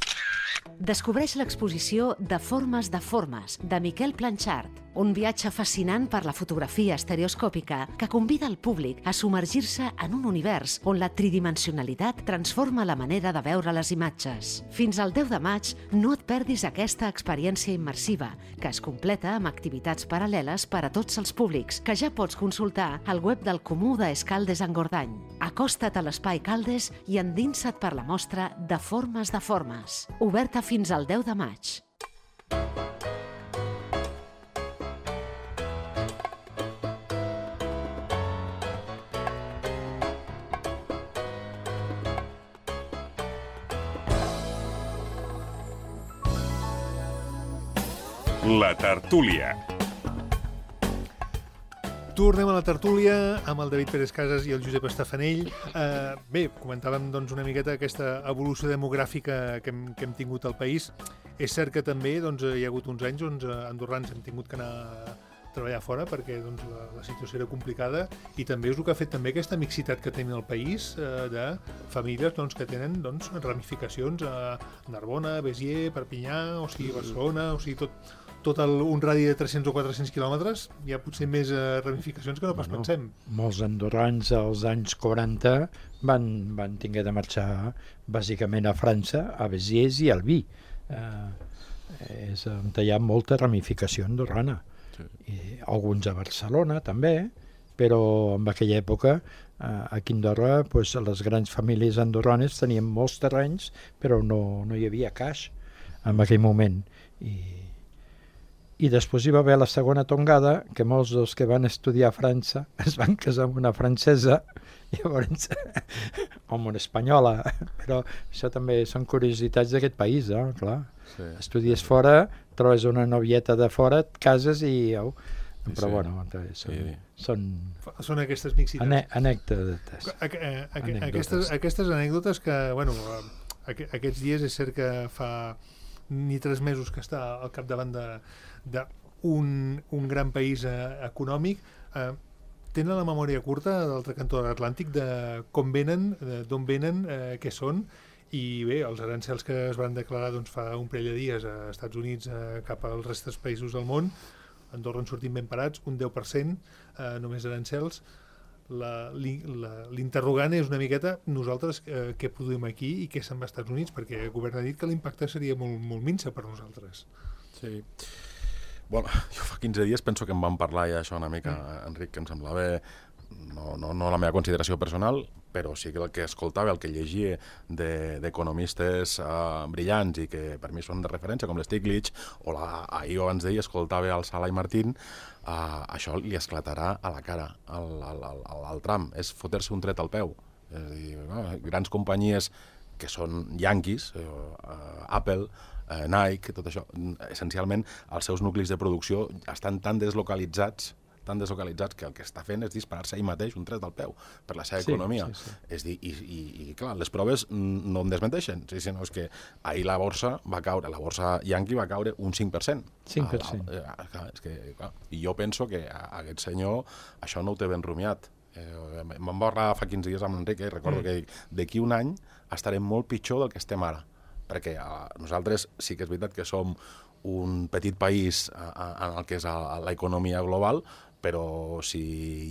Descobreix l'exposició De formes de formes, de Miquel Planchart, un viatge fascinant per la fotografia estereoscòpica que convida el públic a submergir-se en un univers on la tridimensionalitat transforma la manera de veure les imatges. Fins al deu de maig no et perdis aquesta experiència immersiva, que es completa amb activitats paral·leles per a tots els públics, que ja pots consultar al web del Comú d'Escaldes Engordany. Acosta't a l'Espai Caldes i endinsa't per la mostra De formes de formes, oberta fins al deu de maig. La tertúlia. Tornem a la tertúlia amb el David Pérez Casas i el Josep Estefanell. Eh, bé, comentàvem doncs, una miqueta aquesta evolució demogràfica que hem, que hem tingut al país. És cert que també doncs, hi ha hagut uns anys on doncs, andorrans hem tingut que anar a treballar fora perquè doncs, la, la situació era complicada i també és el que ha fet també aquesta mixitat que tenim al país eh, de famílies doncs, que tenen doncs, ramificacions a Narbona, Béziers, Perpinyà, o sigui, Barcelona, o sigui, tot... tot el, un radi de tres-cents o quatre-cents quilòmetres, hi ha potser més eh, ramificacions que no pas bueno, pensem. Molts andorrans als anys quaranta van, van tinguer de marxar bàsicament a França, a Béziers i al Vi. Eh, és on hi ha molta ramificació andorrana. Sí. I alguns a Barcelona també, però en aquella època eh, aquí a Andorra pues, les grans famílies andorranes tenien molts terrenys, però no, no hi havia caix en aquell moment. I I després hi va haver la segona tongada, que molts dels que van estudiar a França es van casar amb una francesa, llavors, o amb una espanyola, però això també són curiositats d'aquest país, eh? Clar. Sí. Estudies fora, trobes una novieta de fora, et cases i... Oh, però sí. Bueno, són, sí. són... Són aquestes mixitats. Ane anècdotes. A, a, a, anècdotes. Aquestes, aquestes anècdotes que, bueno, a, a, aquests dies és cert que fa... ni tres mesos que està al capdavant d'un un gran país eh, econòmic, eh, tenen la memòria curta de l'altre cantó de l'Atlàntic de com venen, d'on venen, eh, què són, i bé, els arancels que es van declarar doncs, fa un parell de dies a Estats Units eh, cap als restes països del món, Andorra en sortim ben parats, un deu per cent eh, només arancels. L'interrogant és una miqueta nosaltres eh, què produïm aquí i què se'n va als Estats Units, perquè el govern ha dit que l'impacte seria molt, molt minsa per nosaltres. Sí. Bueno, jo fa quinze dies penso que em van parlar ja això una mica, mm. Enric, que em semblava, no, no, no la meva consideració personal, però sí que el que escoltava, el que llegia d'economistes de, uh, brillants i que per mi són de referència, com l'Stiglitz, o la, ahir o abans d'ahir escoltava el Sala i Martín, uh, això li esclatarà a la cara al, al, al, al Trump. És fotre-se un tret al peu. És a dir, no, grans companyies que són yanquis, uh, uh, Apple, uh, Nike, tot això, essencialment els seus nuclis de producció estan tan deslocalitzats tan deslocalitzats que el que està fent és disparar-se ell mateix un tret al peu per la seva sí, economia. Sí, sí. És dir, i, i, i clar, les proves no em desmenteixen, sí, sinó és que ahir la borsa va caure, la borsa yanqui va caure un cinc per cent. cinc per cent. Ah, ah, clar, és que, clar, i jo penso que a, a aquest senyor això no ho té ben rumiat. Eh, Me'n va parlar fa quinze dies amb l'Enric, eh, recordo mm. que d'aquí un any estarem molt pitjor del que estem ara, perquè a, nosaltres sí que és veritat que som un petit país a, a, en el que és l'economia global, però si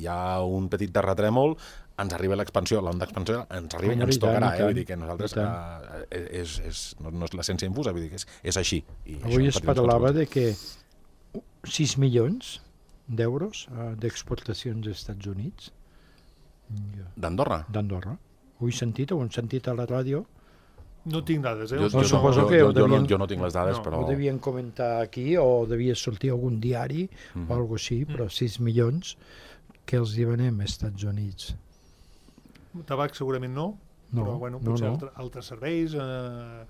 hi ha un petit terratrèmol ens arriba l'expansió, l'onda d'expansió ens arriba i ens tocarà, eh? Vull dir que nosaltres uh, és, és, no, no és l'essència infusa, vull dir que és, és així. I avui es parlava de que sis milions d'euros uh, d'exportacions als Estats Units. D'Andorra? D'Andorra. Ho he sentit, ho hem sentit a la ràdio. No tinc dades, eh? Jo, no, jo, suposo jo, que jo, devien, jo, no, jo no tinc les dades, no, però... Ho devien comentar aquí o devia sortir algun diari mm-hmm. o alguna cosa així, però sis milions que els hi venem als Estats Units. Tabac segurament no, no però bueno, potser no, no. Altre, altres serveis... Eh,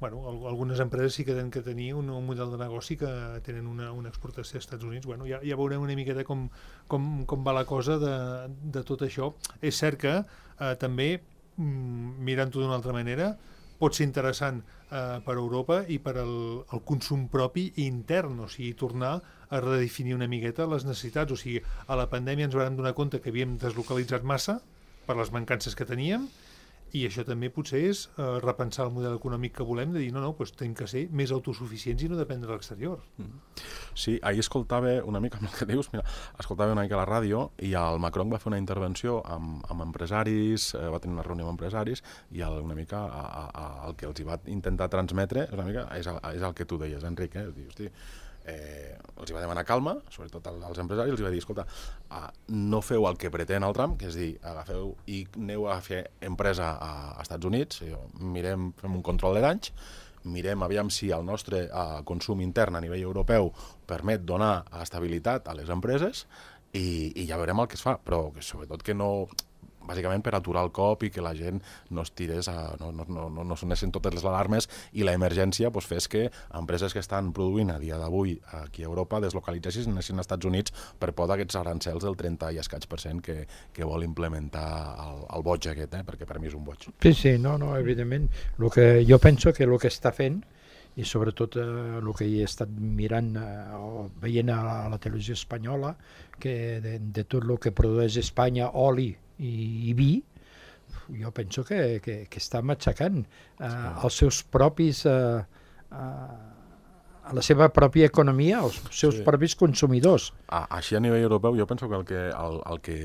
bueno, algunes empreses sí que tenen que tenir un, un model de negoci que tenen una, una exportació als Estats Units. Bueno, ja, ja veurem una miqueta com, com, com va la cosa de, de tot això. És cert que eh, també, mm, mirant-ho d'una altra manera, pot ser interessant eh, per a Europa i per al el consum propi intern, o sigui, tornar a redefinir una miqueta les necessitats. O sigui, a la pandèmia ens vam donar compte que havíem deslocalitzat massa per les mancances que teníem, i això també potser és eh, repensar el model econòmic que volem, de dir, no, no, doncs tenim que ser més autosuficients i no dependre de l'exterior. Sí, ahir escoltava una mica el que dius, mira, escoltava una mica la ràdio i el Macron va fer una intervenció amb, amb empresaris, eh, va tenir una reunió amb empresaris i el, una mica a, a, a, el que els hi va intentar transmetre una mica és el, és el que tu deies, Enric, eh? Dius, hosti, Eh, els hi va demanar calma, sobretot als empresaris, els hi va dir, escolta, uh, no feu el que pretén el Trump, que és dir, agafeu i aneu a fer empresa a, a Estats Units, mirem, fem un control de danys, mirem aviam si el nostre uh, consum intern a nivell europeu permet donar estabilitat a les empreses i, i ja veurem el que es fa, però que sobretot que no... bàsicament per aturar el cop i que la gent no es tirés, a, no, no, no, no sonessin totes les alarmes i la emergència pues, fes que empreses que estan produint a dia d'avui aquí a Europa deslocalitzessin als Estats Units per por d'aquests arancels del trenta i escaig per cent que, que vol implementar el, el boig aquest, eh? Perquè per mi és un boig. Sí, sí, no, no, evidentment. Lo que jo penso que el que està fent i sobretot eh, el que he estat mirant eh, o veient a la, a la televisió espanyola, que de, de tot el que produeix Espanya, oli i, i vi, jo penso que, que, que està matxacant eh, els seus propis... Eh, eh, a la seva pròpia economia, els seus sí. propis consumidors. A, així a nivell europeu jo penso que el que, el, el que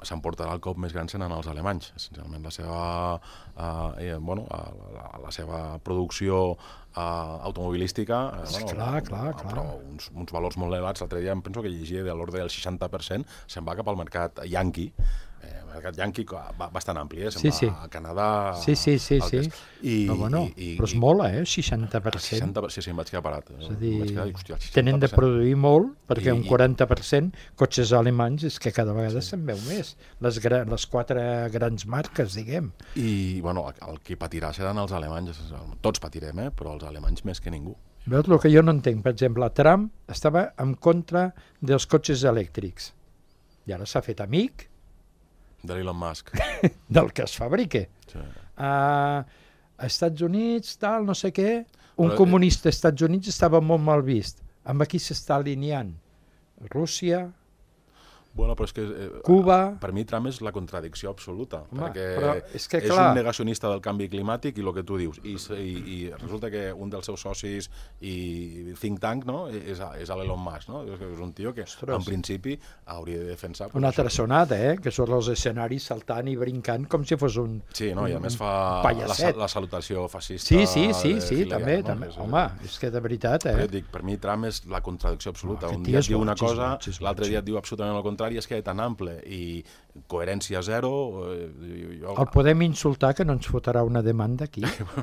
s'emportarà el cop més gran seran els alemanys. Essencialment la seva, eh, bueno, la, la seva producció eh, automobilística, eh, bueno, clar, clar, clar. però uns, uns valors molt elevats. L'altre dia em penso que llegia de l'ordre del seixanta per cent se'n va cap al mercat yanqui, eh, el mercat yanqui bastant ampli, eh? Se'n sí, va sí. a Canadà... Sí, sí, sí, sí. I, però, bueno, i, i, però és molt, eh? seixanta per cent. seixanta per cent, sí, sí, em vaig quedar parat. És a dir, quedar, hòstia, tenen de produir molt, perquè I, un quaranta per cent cotxes alemanys és que cada vegada sí. se'n veu més. Les, les quatre grans marques, diguem. I, bueno, el que patirà seran els alemanys. Tots patirem, eh? Però els alemanys més que ningú. Veus, el que jo no entenc, per exemple, Trump estava en contra dels cotxes elèctrics. I ara s'ha fet amic de l'Elon Musk. del que es fabrique. Sí. Uh, a Estats Units, tal, no sé què... un Però, comunista als Estats Units estava molt mal vist. Amb aquí s'està alineant. Rússia, Bueno, però és que eh, Cuba... per mi Trump és la contradicció absoluta, Home, perquè però és que, és clar, un negacionista del canvi climàtic i el que tu dius, i, i, i resulta que un dels seus socis i think tank, no?, és, és l'Elon Musk, no? És un tio que Ostres. en principi hauria de defensar... una això. altra sonada, eh? Que són els escenaris saltant i brincant com si fos un... Sí, no? I a més fa la, pallasset. la salutació fascista... Sí, sí, sí, de sí, Hitler, també, no? també. És, Home, és que de veritat, eh? eh? Dic, per mi Trump és la contradicció absoluta. No, un aquest dia tio és et diu una boig, és cosa, boig, és l'altre boig. dia et diu absolutament el contrari, és que tan ample i coherència zero... Eh, jo... El podem insultar, que no ens fotrà una demanda aquí.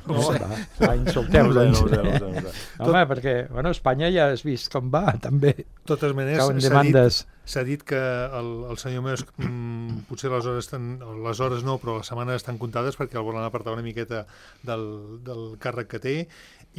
No, va, va, insulteu-lo. No ho sé, no ho sé, no ho sé, no ho sé. Home, perquè, bueno, Espanya ja has vist com va, també. De totes maneres, Cauen s'ha dit, demandes. s'ha dit que el, el senyor Musk, mm, potser les hores, estan, les hores no, però les setmanes estan comptades perquè el volen apartar una miqueta del, del càrrec que té,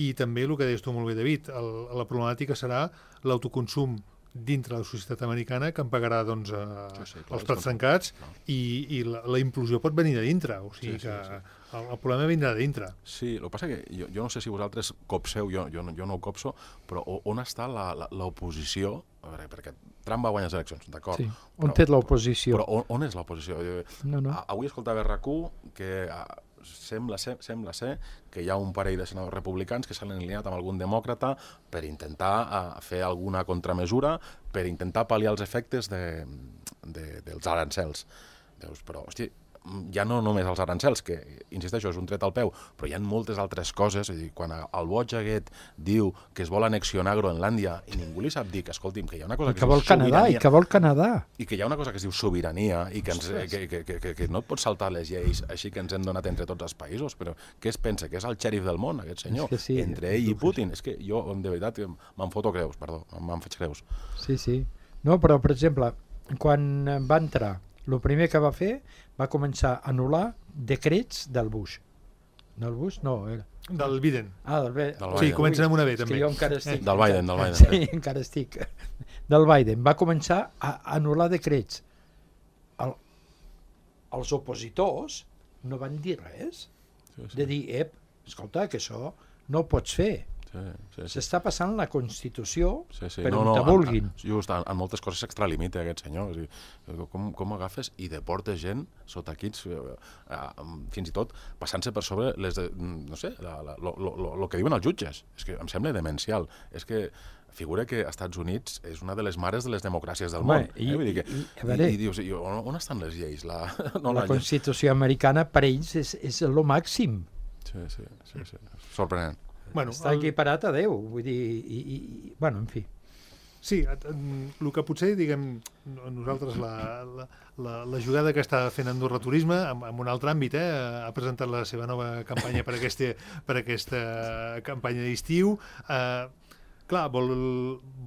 i també el que deies tu molt bé, David, el, la problemàtica serà l'autoconsum dintre la societat americana, que en pagarà doncs, eh, Sí, sí, clar, els plats és trencats, clar. i, i la, la implosió pot venir de dintre, o sigui Sí, sí, que sí. El, el problema vindrà de dintre. Sí, el que passa que jo, jo no sé si vosaltres copseu, jo, jo, no- jo no ho copso, però o- on està la- la- l'oposició? A veure, perquè Trump va guanyar les eleccions, d'acord. Sí. On té l'oposició? Però on, on és l'oposició? Jo- No, no. a- Avui escoltava R Q que ah, sembla ser, sembla ser que hi ha un parell de senadors republicans que s'han alineat amb algun demòcrata per intentar ah, fer alguna contramesura, per intentar pal·liar els efectes de, de, dels arancels. Dius, però, hosti, ja no només els arancels, que, insisteixo, és un tret al peu, però hi ha moltes altres coses. És a dir, quan el boig aquest diu que es vol annexionar Groenlàndia i ningú li sap dir que, escolti'm, que hi ha una cosa que, Que vol es diu Canadà, i sobirania, que vol Canadà. i que hi ha una cosa que es diu sobirania i que, ens, Ostres. que, que, que, que, que no et pots saltar les lleis així que ens hem donat entre tots els països, però què es pensa? Que és el xèrif del món, aquest senyor? És que sí, entre ell i Putin. És que jo, de veritat, me'n foto creus, perdó, me'n faig creus. Sí, sí. No, però, per exemple, quan va entrar, el primer que va fer va començar a anul·lar decrets del Bush. Del Bush? No, era... Del Biden. Ah, del, Be... Del Sí, Biden. comencen amb una B, És que també. jo encara estic... Del Biden, del Biden. Sí, encara estic... Del Biden. Va començar a anul·lar decrets. El... Els opositors no van dir res. Sí, sí. De dir, ep, escolta, que això no ho pots fer. Sí, sí, sí. S'està passant la Constitució Sí, sí. per no, on no, te vulguin. En, just, en, en moltes coses s'extralimita aquest senyor. És a dir, com, com agafes i deportes gent sota equips, eh, eh, fins i tot passant-se per sobre les de, no sé, la, la, lo, lo, lo que diuen els jutges. És que em sembla demencial. És que figura que als Estats Units és una de les mares de les democràcies del Home, món. i- eh? Vull dir que, i- a veure- i, i dius, i, on, on estan les lleis? La, no, La la, Constitució americana per ells és, és el màxim. Sí, sí, sí, sí. Sorprenent. Bueno, Està el- equiparat a Déu. Vull dir, i, i, i, bueno, en fi. Sí, el que potser, diguem, nosaltres la, la, la, la jugada que està fent Andorra Turisme, en, en un altre àmbit, eh, ha presentat la seva nova campanya per, aquesta, per aquesta campanya d'estiu. Eh, clar, vol,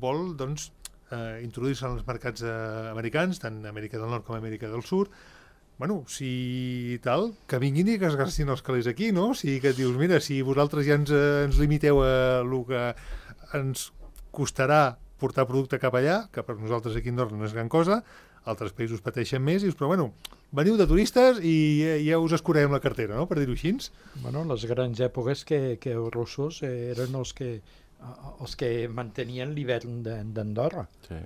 vol doncs, eh, introduir-se en els mercats eh, americans, tant Amèrica del Nord com Amèrica del Sud. Bueno, si tal, que vinguin i que es gastin els calés aquí, no? Si que et dius, mira, si vosaltres ja ens, eh, ens limiteu a el que ens costarà portar producte cap allà, que per nosaltres aquí a Andorra no és gran cosa, altres països pateixen més, i dius, però bueno, veniu de turistes i ja, ja us escurem la cartera, no?, per dir-ho així. Bueno, les grans èpoques que, que els russos eh, eren els que, eh, els que mantenien l'hivern de- d'Andorra. Sí.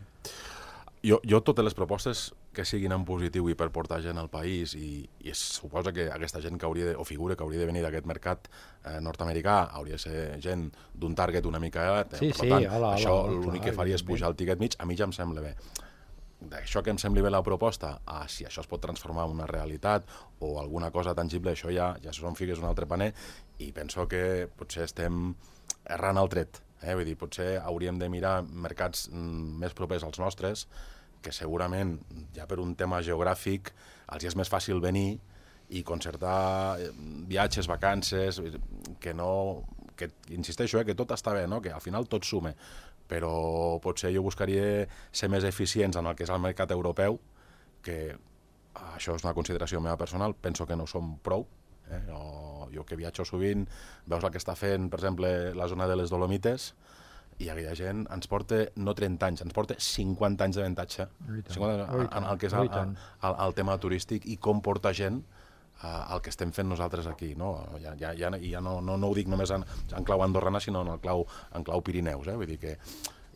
Jo, jo totes les propostes que siguin en positiu i per portar gent al país, i, i es suposa que aquesta gent que hauria de, o figura que hauria de venir d'aquest mercat eh, nord-americà hauria de ser gent d'un target una mica elevat, eh? Sí, per sí, tant, hola, això hola, l'únic clar, que faria és evidentment. pujar el tiquet mig, a mi ja em sembla bé. D'això que em sembli bé la proposta, a si això es pot transformar en una realitat o alguna cosa tangible, això ja, ja són figues un altre paner, i penso que potser estem errant el tret. Eh? Vull dir, potser hauríem de mirar mercats mm, més propers als nostres, que segurament, ja per un tema geogràfic, els hi és més fàcil venir i concertar eh, viatges, vacances, que no... que insisteixo, eh, que tot està bé, no? Que al final tot sume, però potser jo buscaria ser més eficients en el que és el mercat europeu, que això és una consideració meva personal, penso que no som prou. Eh? Jo, jo que viatjo sovint, veus el que està fent, per exemple, la zona de les Dolomites, i aquella gent ens porta no trenta anys, ens porta cinquanta anys d'avantatge I tant, cinquanta i en, en el que és i el, tant. el, el tema turístic i com porta gent uh, el que estem fent nosaltres aquí, no? Ja, ja, ja, ja no, no, no ho dic només en, en clau andorrana, sinó en, el clau, en clau Pirineus, eh? Vull dir que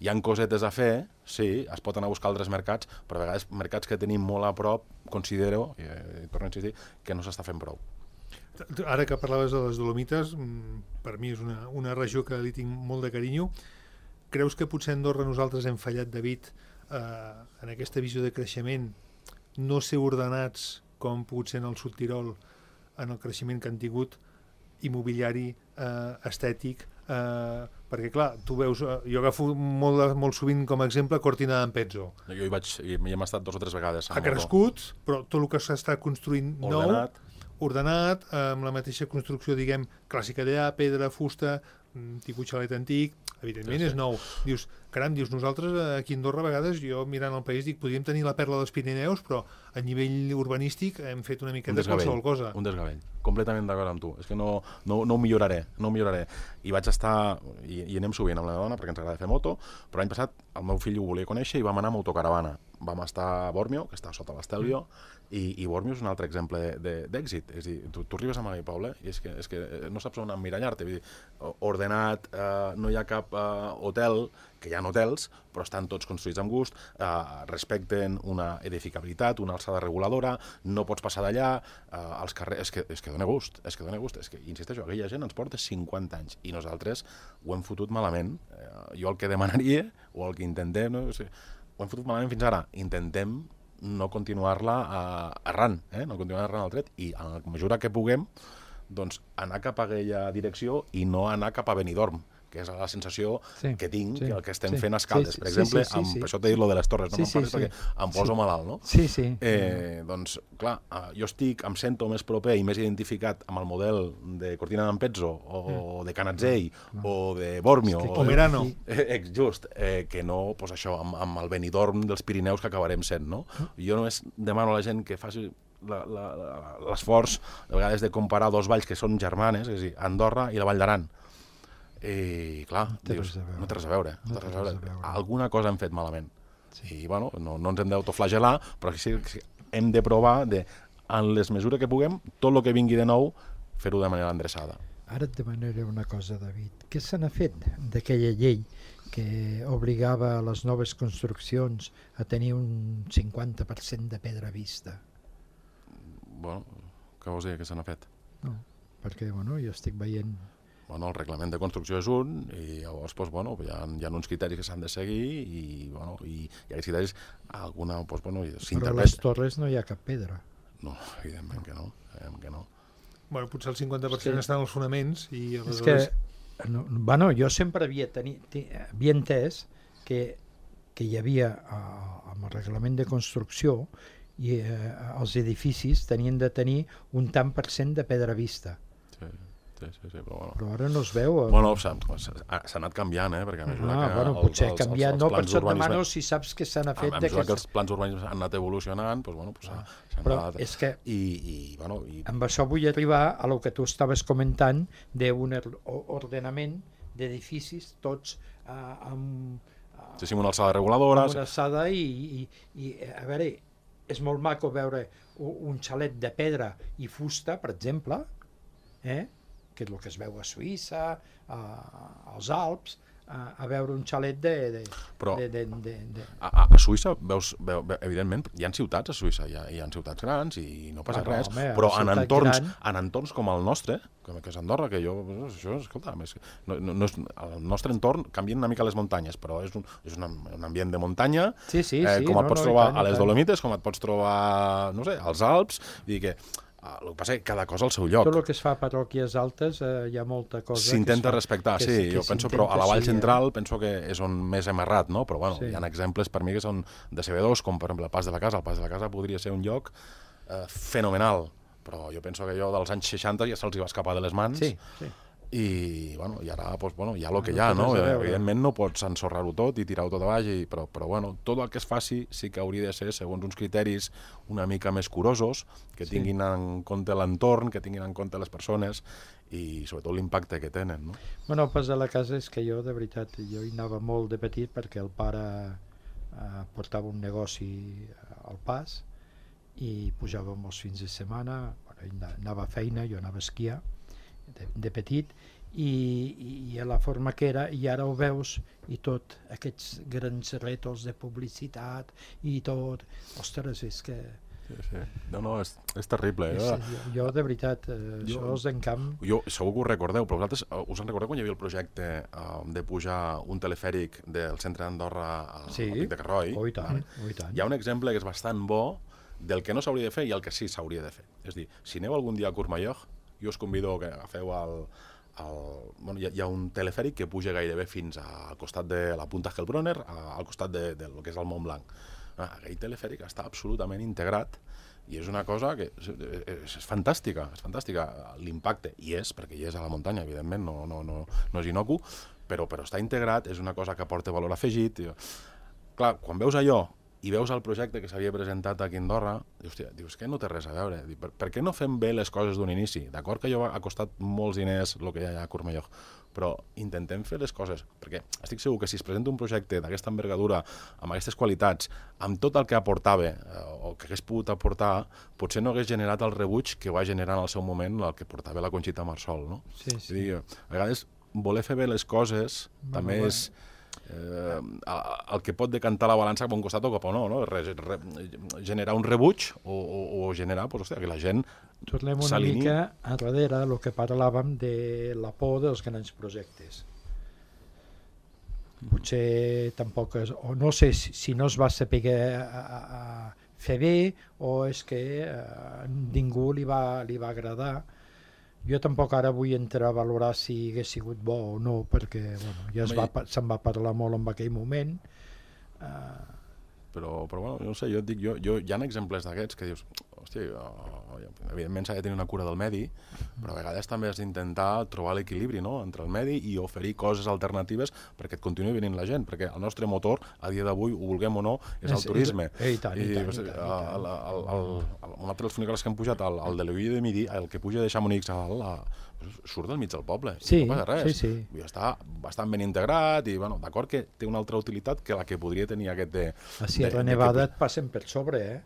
hi ha cosetes a fer, sí, es pot anar a buscar altres mercats, però a vegades mercats que tenim molt a prop, considero, i, i torno a insistir, que no s'està fent prou. Ara que parlaves de les Dolomites, per mi és una, una regió que li tinc molt de carinyo. Creus que potser a Andorra nosaltres hem fallat, David, eh, en aquesta visió de creixement, no ser ordenats com pogut ser en el Sud Tirol, en el creixement que han tingut, immobiliari, eh, estètic, eh, perquè clar, tu veus, eh, jo agafo molt, molt sovint com a exemple Cortina d'Ampezzo. Jo hi vaig, hi hem estat dos o tres vegades. Ha crescut, però tot el que s'està construint ordenat. nou, ordenat, amb la mateixa construcció, diguem, clàssica d'allà, pedra, fusta, tipus xalet antic, evidentment sí, sí. és nou. Dius, caram, dius, nosaltres aquí a Andorra a vegades, jo mirant el país dic, podríem tenir la perla dels Pirineus, però a nivell urbanístic hem fet una mica un de qualsevol cosa. Un desgavell, completament d'acord amb tu. És que no, no, no ho milloraré, no ho milloraré. I vaig estar, i, i anem sovint amb la dona perquè ens agrada fer moto, però l'any passat el meu fill ho volia conèixer i vam anar amb autocaravana. Vam estar a Bormio, que està sota l'Estelvio, mm. i, i Bormio és un altre exemple d'èxit. És a dir, tu, tu arribes a Magai Poble i és que, és que no saps on emmirallar-te. Vull dir, ordenat, eh, no hi ha cap eh, hotel, que hi ha hotels, però estan tots construïts amb gust, eh, respecten una edificabilitat, una alçada reguladora, no pots passar d'allà, eh, els carrers... És que, és que dona gust, és que dona gust. És que, insisteixo, aquella gent ens porta cinquanta anys i nosaltres ho hem fotut malament. Eh, jo el que demanaria, o el que intentem, no? O sigui, ho hem fotut malament fins ara. Intentem no continuar-la uh, errant, eh? no continuar errant al tret, i a la mesura que puguem, doncs anar cap a aquella direcció i no anar cap a Benidorm, que és la sensació sí, que tinc, sí, que el que estem sí, fent a Escaldes, sí, per exemple, sí, sí, sí, amb, sí. per això t'he dit lo de les torres, no sí, me'n parles sí, perquè sí. em poso sí. malalt, no? Sí, sí. Eh, doncs, clar, jo estic, em sento més proper i més identificat amb el model de Cortina d'Ampezzo, o mm. de Canazzei, mm. o de Bormio, o Merano, eh, just, eh, que no, pues això, amb, amb el Benidorm dels Pirineus que acabarem sent, no? Mm. Jo només demano a la gent que faci l'esforç, de vegades, de comparar dos valls que són germanes, és a dir, Andorra i la Vall d'Aran. I clar, no té dius, no té res a veure, no té res a veure. Alguna cosa hem fet malament. Sí. I bueno, no, no ens hem d'autoflagelar, però sí, sí, hem de provar de, en les mesures que puguem, tot el que vingui de nou, fer-ho de manera endreçada. Ara et demanaré una cosa, David. Què se n'ha fet d'aquella llei que obligava a les noves construccions a tenir un cinquanta per cent de pedra vista? Bueno, què vols dir que se n'ha fet? No, perquè bueno, jo estic veient... Bueno, el reglament de construcció és un, i llavors doncs, bueno, hi, ha, hi ha uns criteris que s'han de seguir, i, bueno, i, i aquests criteris, alguna, doncs, bueno, s'interpreta. Però a les torres no hi ha cap pedra. No, evidentment que no. Evidentment que no. Bueno, potser el cinquanta per cent sí. estan als fonaments, i aleshores... És que, no, bueno, jo sempre havia, teni, havia entès que, que hi havia, uh, amb el reglament de construcció, i uh, els edificis tenien de tenir un tant per cent de pedra vista. Sí. Sí, sí, sí, però, bueno. però ara no es veu. Eh? Bueno, s'ha anat canviant, eh? Perquè a mesura ah, que bueno, els, potser els, canviat, els, els no, per això et urbanisme... demano si saps que se n'ha fet. A, a mesura que els plans urbanismes han anat evolucionant, doncs, bueno, doncs, ah, s'han però anat... És que I, i, bueno, i... amb això vull arribar a lo que tu estaves comentant d'un ordenament d'edificis tots uh, amb... Uh, sí, sí, una alçada reguladora... Una alçada i, i, i, a veure, és molt maco veure un xalet de pedra i fusta, per exemple, eh? que és el que es veu a Suïssa, a, als Alps, a, a veure un xalet de... de, però de, de, de, de... A, a Suïssa, veus, veu, evidentment, hi ha ciutats a Suïssa, hi ha, hi ha ciutats grans i no passa bueno, res, home, però en entorns, gran... en entorns com el nostre, com que és Andorra, que jo, això, escolta, més, no, no, no és, el nostre entorn canvia una mica les muntanyes, però és un, és un, un ambient de muntanya, sí, sí, eh, sí, com et no, pots no, trobar tant, a les tant. Dolomites, com et pots trobar, no sé, als Alps, i dir que Uh, el que passa és que cada cosa al seu lloc. Tot el que es fa a parròquies altes eh, hi ha molta cosa... S'intenta respectar, que, sí, que jo penso, però a la Vall sí, Central eh? penso que és on més hem errat, no? Però bueno, sí. hi ha exemples per mi que són decebedors, com per exemple el Pas de la Casa. El Pas de la Casa podria ser un lloc eh, fenomenal, però jo penso que allò dels anys seixanta ja se'ls va escapar de les mans. Sí, sí. I, bueno, i ara doncs, bueno, hi ha el que hi ha, no? Evidentment no pots ensorrar-ho tot i tirar-ho tot avall, i, però, però bueno, tot el que es faci sí que hauria de ser segons uns criteris una mica més curosos, que tinguin sí. en compte l'entorn, que tinguin en compte les persones i sobretot l'impacte que tenen, no? Bueno, el Pas de la Casa és que jo, de veritat, jo hi anava molt de petit perquè el pare eh, portava un negoci al Pas i pujàvem els fins de setmana, bueno, anava a feina, jo anava a esquiar de, de petit, i, i a la forma que era, i ara ho veus, i tot, aquests grans rètols de publicitat, i tot, ostres, és que... Sí, sí. No, no, és, és terrible. Eh? És, jo, jo, de veritat, eh, jo, això és d'encamp... Jo, segur que ho recordeu, però vosaltres uh, us en recordeu quan hi havia el projecte uh, de pujar un telefèric del centre d'Andorra al sí. Pic de Carroi? Oh, i tant, oh, i tant. Hi ha un exemple que és bastant bo del que no s'hauria de fer i el que sí s'hauria de fer. És dir, si aneu algun dia a Courmayeur, jo us convido que agafeu el... el bueno, hi, ha, hi ha un telefèric que puja gairebé fins al costat de la Punta Hellbronner, al costat de, de lo que és el Mont Blanc. Ah, aquell telefèric està absolutament integrat i és una cosa que és, és, és fantàstica, és fantàstica l'impacte, i és, perquè hi és a la muntanya, evidentment, no, no, no, no és inocu, però, però està integrat, és una cosa que aporta valor afegit. I, clar, quan veus allò i veus el projecte que s'havia presentat aquí a Andorra, dius, hòstia, dius que no té res a veure, per, per què no fem bé les coses d'un inici? D'acord que allò ha costat molts diners el que hi ha a Courmayeur, però intentem fer les coses, perquè estic segur que si es presenta un projecte d'aquesta envergadura, amb aquestes qualitats, amb tot el que aportava, eh, o que hagués pogut aportar, potser no hagués generat el rebuig que va generar en el seu moment el que portava la Conxita Marsol, no? Sí, sí. Dir, a vegades, voler fer bé les coses bueno, també bueno. és eh, el que pot decantar la balança cap a un costat o cap a no, no? Re, re, generar un rebuig o, o, o generar, pues, hòstia, que la gent tornem una mica a darrere el que parlàvem de la por dels grans projectes. Potser tampoc és, o no sé si, si no es va saber a, a, a fer bé o és que a ningú li va, li va agradar. Jo tampoc ara vull entrar a valorar si hagués sigut bo o no, perquè bueno, ja es va, se'n va parlar molt en aquell moment. Uh, però, però bueno, no sé, jo et dic, jo, jo, hi ha exemples d'aquests que dius, hòstia, oh, evidentment s'ha de tenir una cura del medi, però a vegades també has d'intentar trobar l'equilibri, no?, entre el medi i oferir coses alternatives perquè et continuï venint la gent, perquè el nostre motor, a dia d'avui, ho vulguem o no, és el turisme. I tant, i tant, i tant. Un altre dels funicles que hem pujat, el, el de l'Oïlla de Midi, el que puja de Chamonix a dalt, surt del mig del poble, sí, no passa res. Sí, sí. I està bastant ben integrat i, bueno, d'acord que té una altra utilitat que la que podria tenir aquest de... A Sierra Nevada et passen per sobre, eh?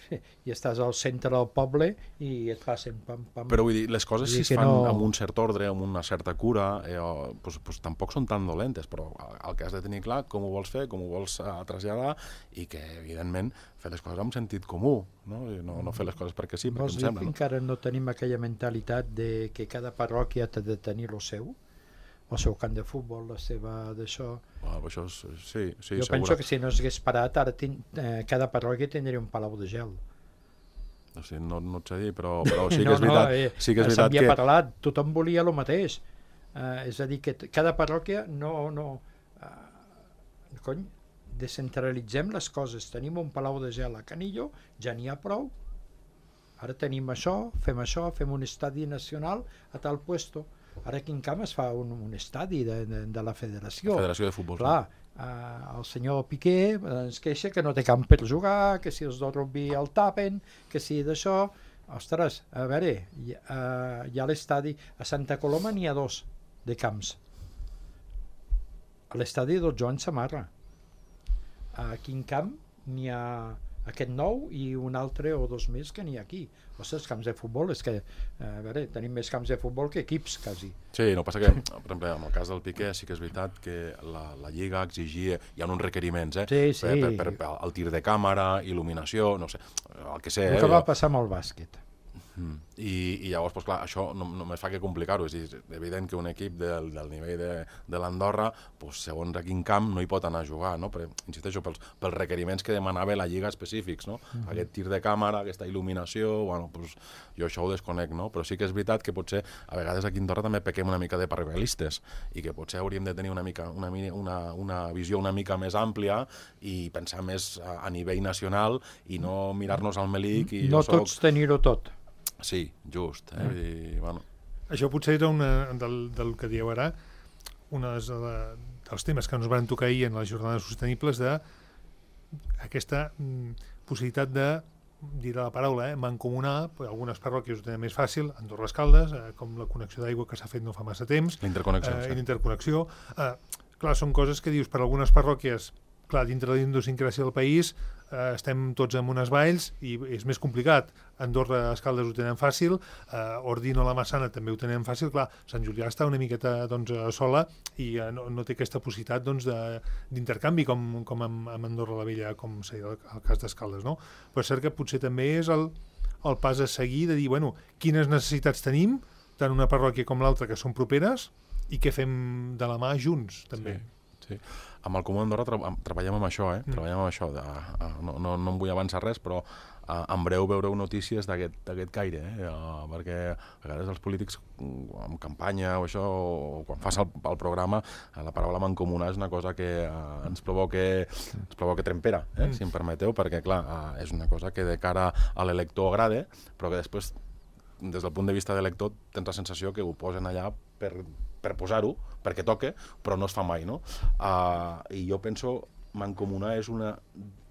I estàs al centre del poble i et passen pam, pam. Però vull dir, les coses si es fan no... amb un cert ordre, amb una certa cura, eh, pues, pues, tampoc són tan dolentes, però el que has de tenir clar com ho vols fer, com ho vols uh, traslladar i que, evidentment, fer les coses amb sentit comú, no, I no, no fer les coses perquè sí, perquè Vols em dir sembla. que No? encara no tenim aquella mentalitat de que cada parròquia ha de tenir el seu? El seu camp de futbol, la seva d'això... Bueno, això és, sí, sí, jo segura. penso que si no s'hagués parat, ara tin, eh, cada parròquia tindria un palau de gel. O sigui, no, no et sé dir, però, però sí que no, és veritat, no, eh, sí que, és veritat s'havia que... parlat, tothom volia el mateix. Eh, és a dir, que cada parròquia no... no eh, cony, descentralitzem les coses. Tenim un palau de gel a Canillo, ja n'hi ha prou. Ara tenim això, fem això, fem un estadi nacional a tal puesto. Ara aquí en Camp es fa un, un estadi de, de, de la federació. Federació de Futbol. Clar, uh, el senyor Piqué ens queixa que no té camp per jugar, que si els del rugby el tapen, que si d'això... Ostres, a veure, hi, uh, hi ha l'estadi... A Santa Coloma n'hi ha dos de camps. A l'estadi del Joan Samarra. Aquí en Camp n'hi ha aquest nou i un altre o dos més que n'hi ha aquí. Ostres, camps de futbol, és que, a veure, tenim més camps de futbol que equips, quasi. Sí, no passa que, per exemple, en el cas del Piqué sí que és veritat que la, la Lliga exigia, hi ha uns requeriments, eh? Sí, sí. Per, per, per, el tir de càmera, il·luminació, no sé, el que sé. El eh? que va passar amb el bàsquet. Mm. I, i llavors, doncs, clar, això no, només fa que complicar-ho. És dir, evident que un equip del, del nivell de, de l'Andorra, doncs, segons a quin camp, no hi pot anar a jugar, no? Però, insisteixo, pels, pels requeriments que demanava la Lliga específics, no? Mm -hmm. Aquest tir de càmera, aquesta il·luminació, bueno, doncs, jo això ho desconec, no? Però sí que és veritat que potser a vegades aquí a Andorra també pequem una mica de parroquialistes i que potser hauríem de tenir una, mica, una, una, una visió una mica més àmplia i pensar més a, a nivell nacional i no mirar-nos al melic i no jo soc... tots tenir-ho tot. Sí, just. Eh? Mm. I, bueno. Això potser era una, del, del que dieu ara, un dels, dels temes que ens van tocar ahir en les jornades sostenibles, de aquesta mm, possibilitat de, diré la paraula, eh, mancomunar, algunes parròquies ho tenen més fàcil, Andorra les Caldes, eh, com la connexió d'aigua que s'ha fet no fa massa temps, l'interconnexió, eh, sí. l'interconnexió. Eh, clar, són coses que dius, per algunes parròquies clar, dintre de la idiosincràsia del país eh, estem tots en unes valls i és més complicat. Andorra, Escaldes ho tenen fàcil, eh, Ordino, la Massana també ho tenen fàcil. Clar, Sant Julià està una miqueta doncs, sola i eh, no, no té aquesta possibilitat doncs, d'intercanvi com, com amb, amb Andorra la Vella, com seria el, el cas d'Escaldes, no? Però és cert que potser també és el, el pas a seguir de dir, bueno, quines necessitats tenim, tant una parròquia com l'altra, que són properes, i què fem de la mà junts, també. Sí, sí. Amb el Comú d'Andorra tra treballem amb això, eh? Mm. Treballem amb això. De, uh, no, no, no em vull avançar res, però uh, en breu veureu notícies d'aquest caire, eh? Uh, perquè a vegades els polítics, en campanya o això, o quan fas el, el programa, uh, la paraula mancomunar és una cosa que uh, ens provoca, ens provoca trempera, eh? Mm. Si em permeteu, perquè clar, uh, és una cosa que de cara a l'elector agrada, però que després, des del punt de vista de lector, tens la sensació que ho posen allà per, per posar-ho, perquè toque, però no es fa mai, no? Uh, I jo penso mancomunar és, una,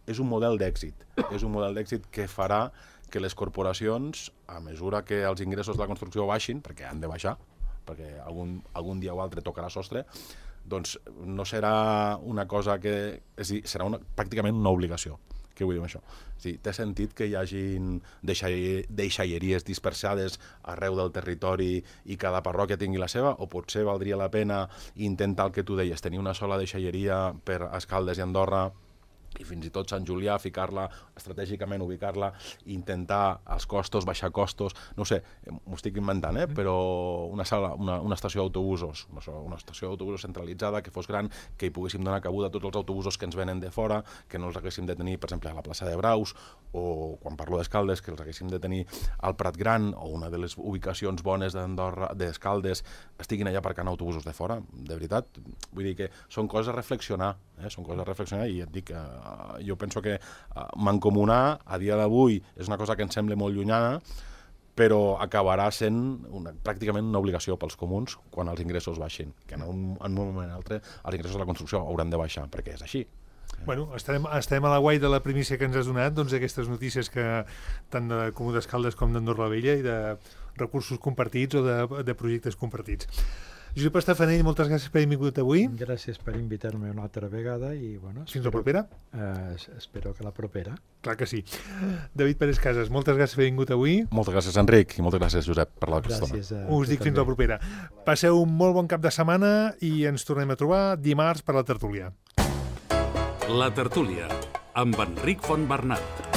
és un model d'èxit. És un model d'èxit que farà que les corporacions, a mesura que els ingressos de la construcció baixin, perquè han de baixar, perquè algun, algun dia o altre tocarà sostre, doncs no serà una cosa que... És a dir, serà una, pràcticament una obligació. Què vull dir amb això? És dir, té sentit que hi hagin deixalleries dispersades arreu del territori i cada parròquia tingui la seva, o potser valdria la pena intentar el que tu deies, tenir una sola deixalleria per Escaldes i Andorra, i fins i tot Sant Julià, ficar-la estratègicament, ubicar-la, intentar els costos, baixar costos, no sé, m'ho estic inventant, eh? Però una sala, una, una estació d'autobusos, una estació d'autobusos centralitzada, que fos gran, que hi poguéssim donar cabuda a tots els autobusos que ens venen de fora, que no els haguéssim de tenir, per exemple, a la plaça de Braus, o quan parlo d'Escaldes, que els haguéssim de tenir al Prat Gran, o una de les ubicacions bones d'Andorra, d'Escaldes, estiguin allà aparcant autobusos de fora, de veritat. Vull dir que són coses a reflexionar, eh? Són coses a reflexionar, i et dic que Uh, jo penso que uh, mancomunar a dia d'avui és una cosa que ens sembla molt llunyana, però acabarà sent una, pràcticament una obligació pels comuns quan els ingressos baixin, que en un, en un moment o altre els ingressos de la construcció hauran de baixar, perquè és així. Bueno, estarem, estarem a la guai de la primícia que ens has donat, doncs aquestes notícies que tant de Comú d'Escaldes com d'Andorra la Vella i de recursos compartits o de, de projectes compartits. Josep Estafanell, moltes gràcies per haver vingut avui. Gràcies per invitar-me una altra vegada i, bueno... Fins la propera? Eh, espero que la propera. Clar que sí. David Pérez Casas, moltes gràcies per haver vingut avui. Moltes gràcies, Enric, i moltes gràcies, Josep, per la estona. Us dic fins la propera. Passeu un molt bon cap de setmana i ens tornem a trobar dimarts per la tertúlia. La tertúlia, amb Enric Fontbernat.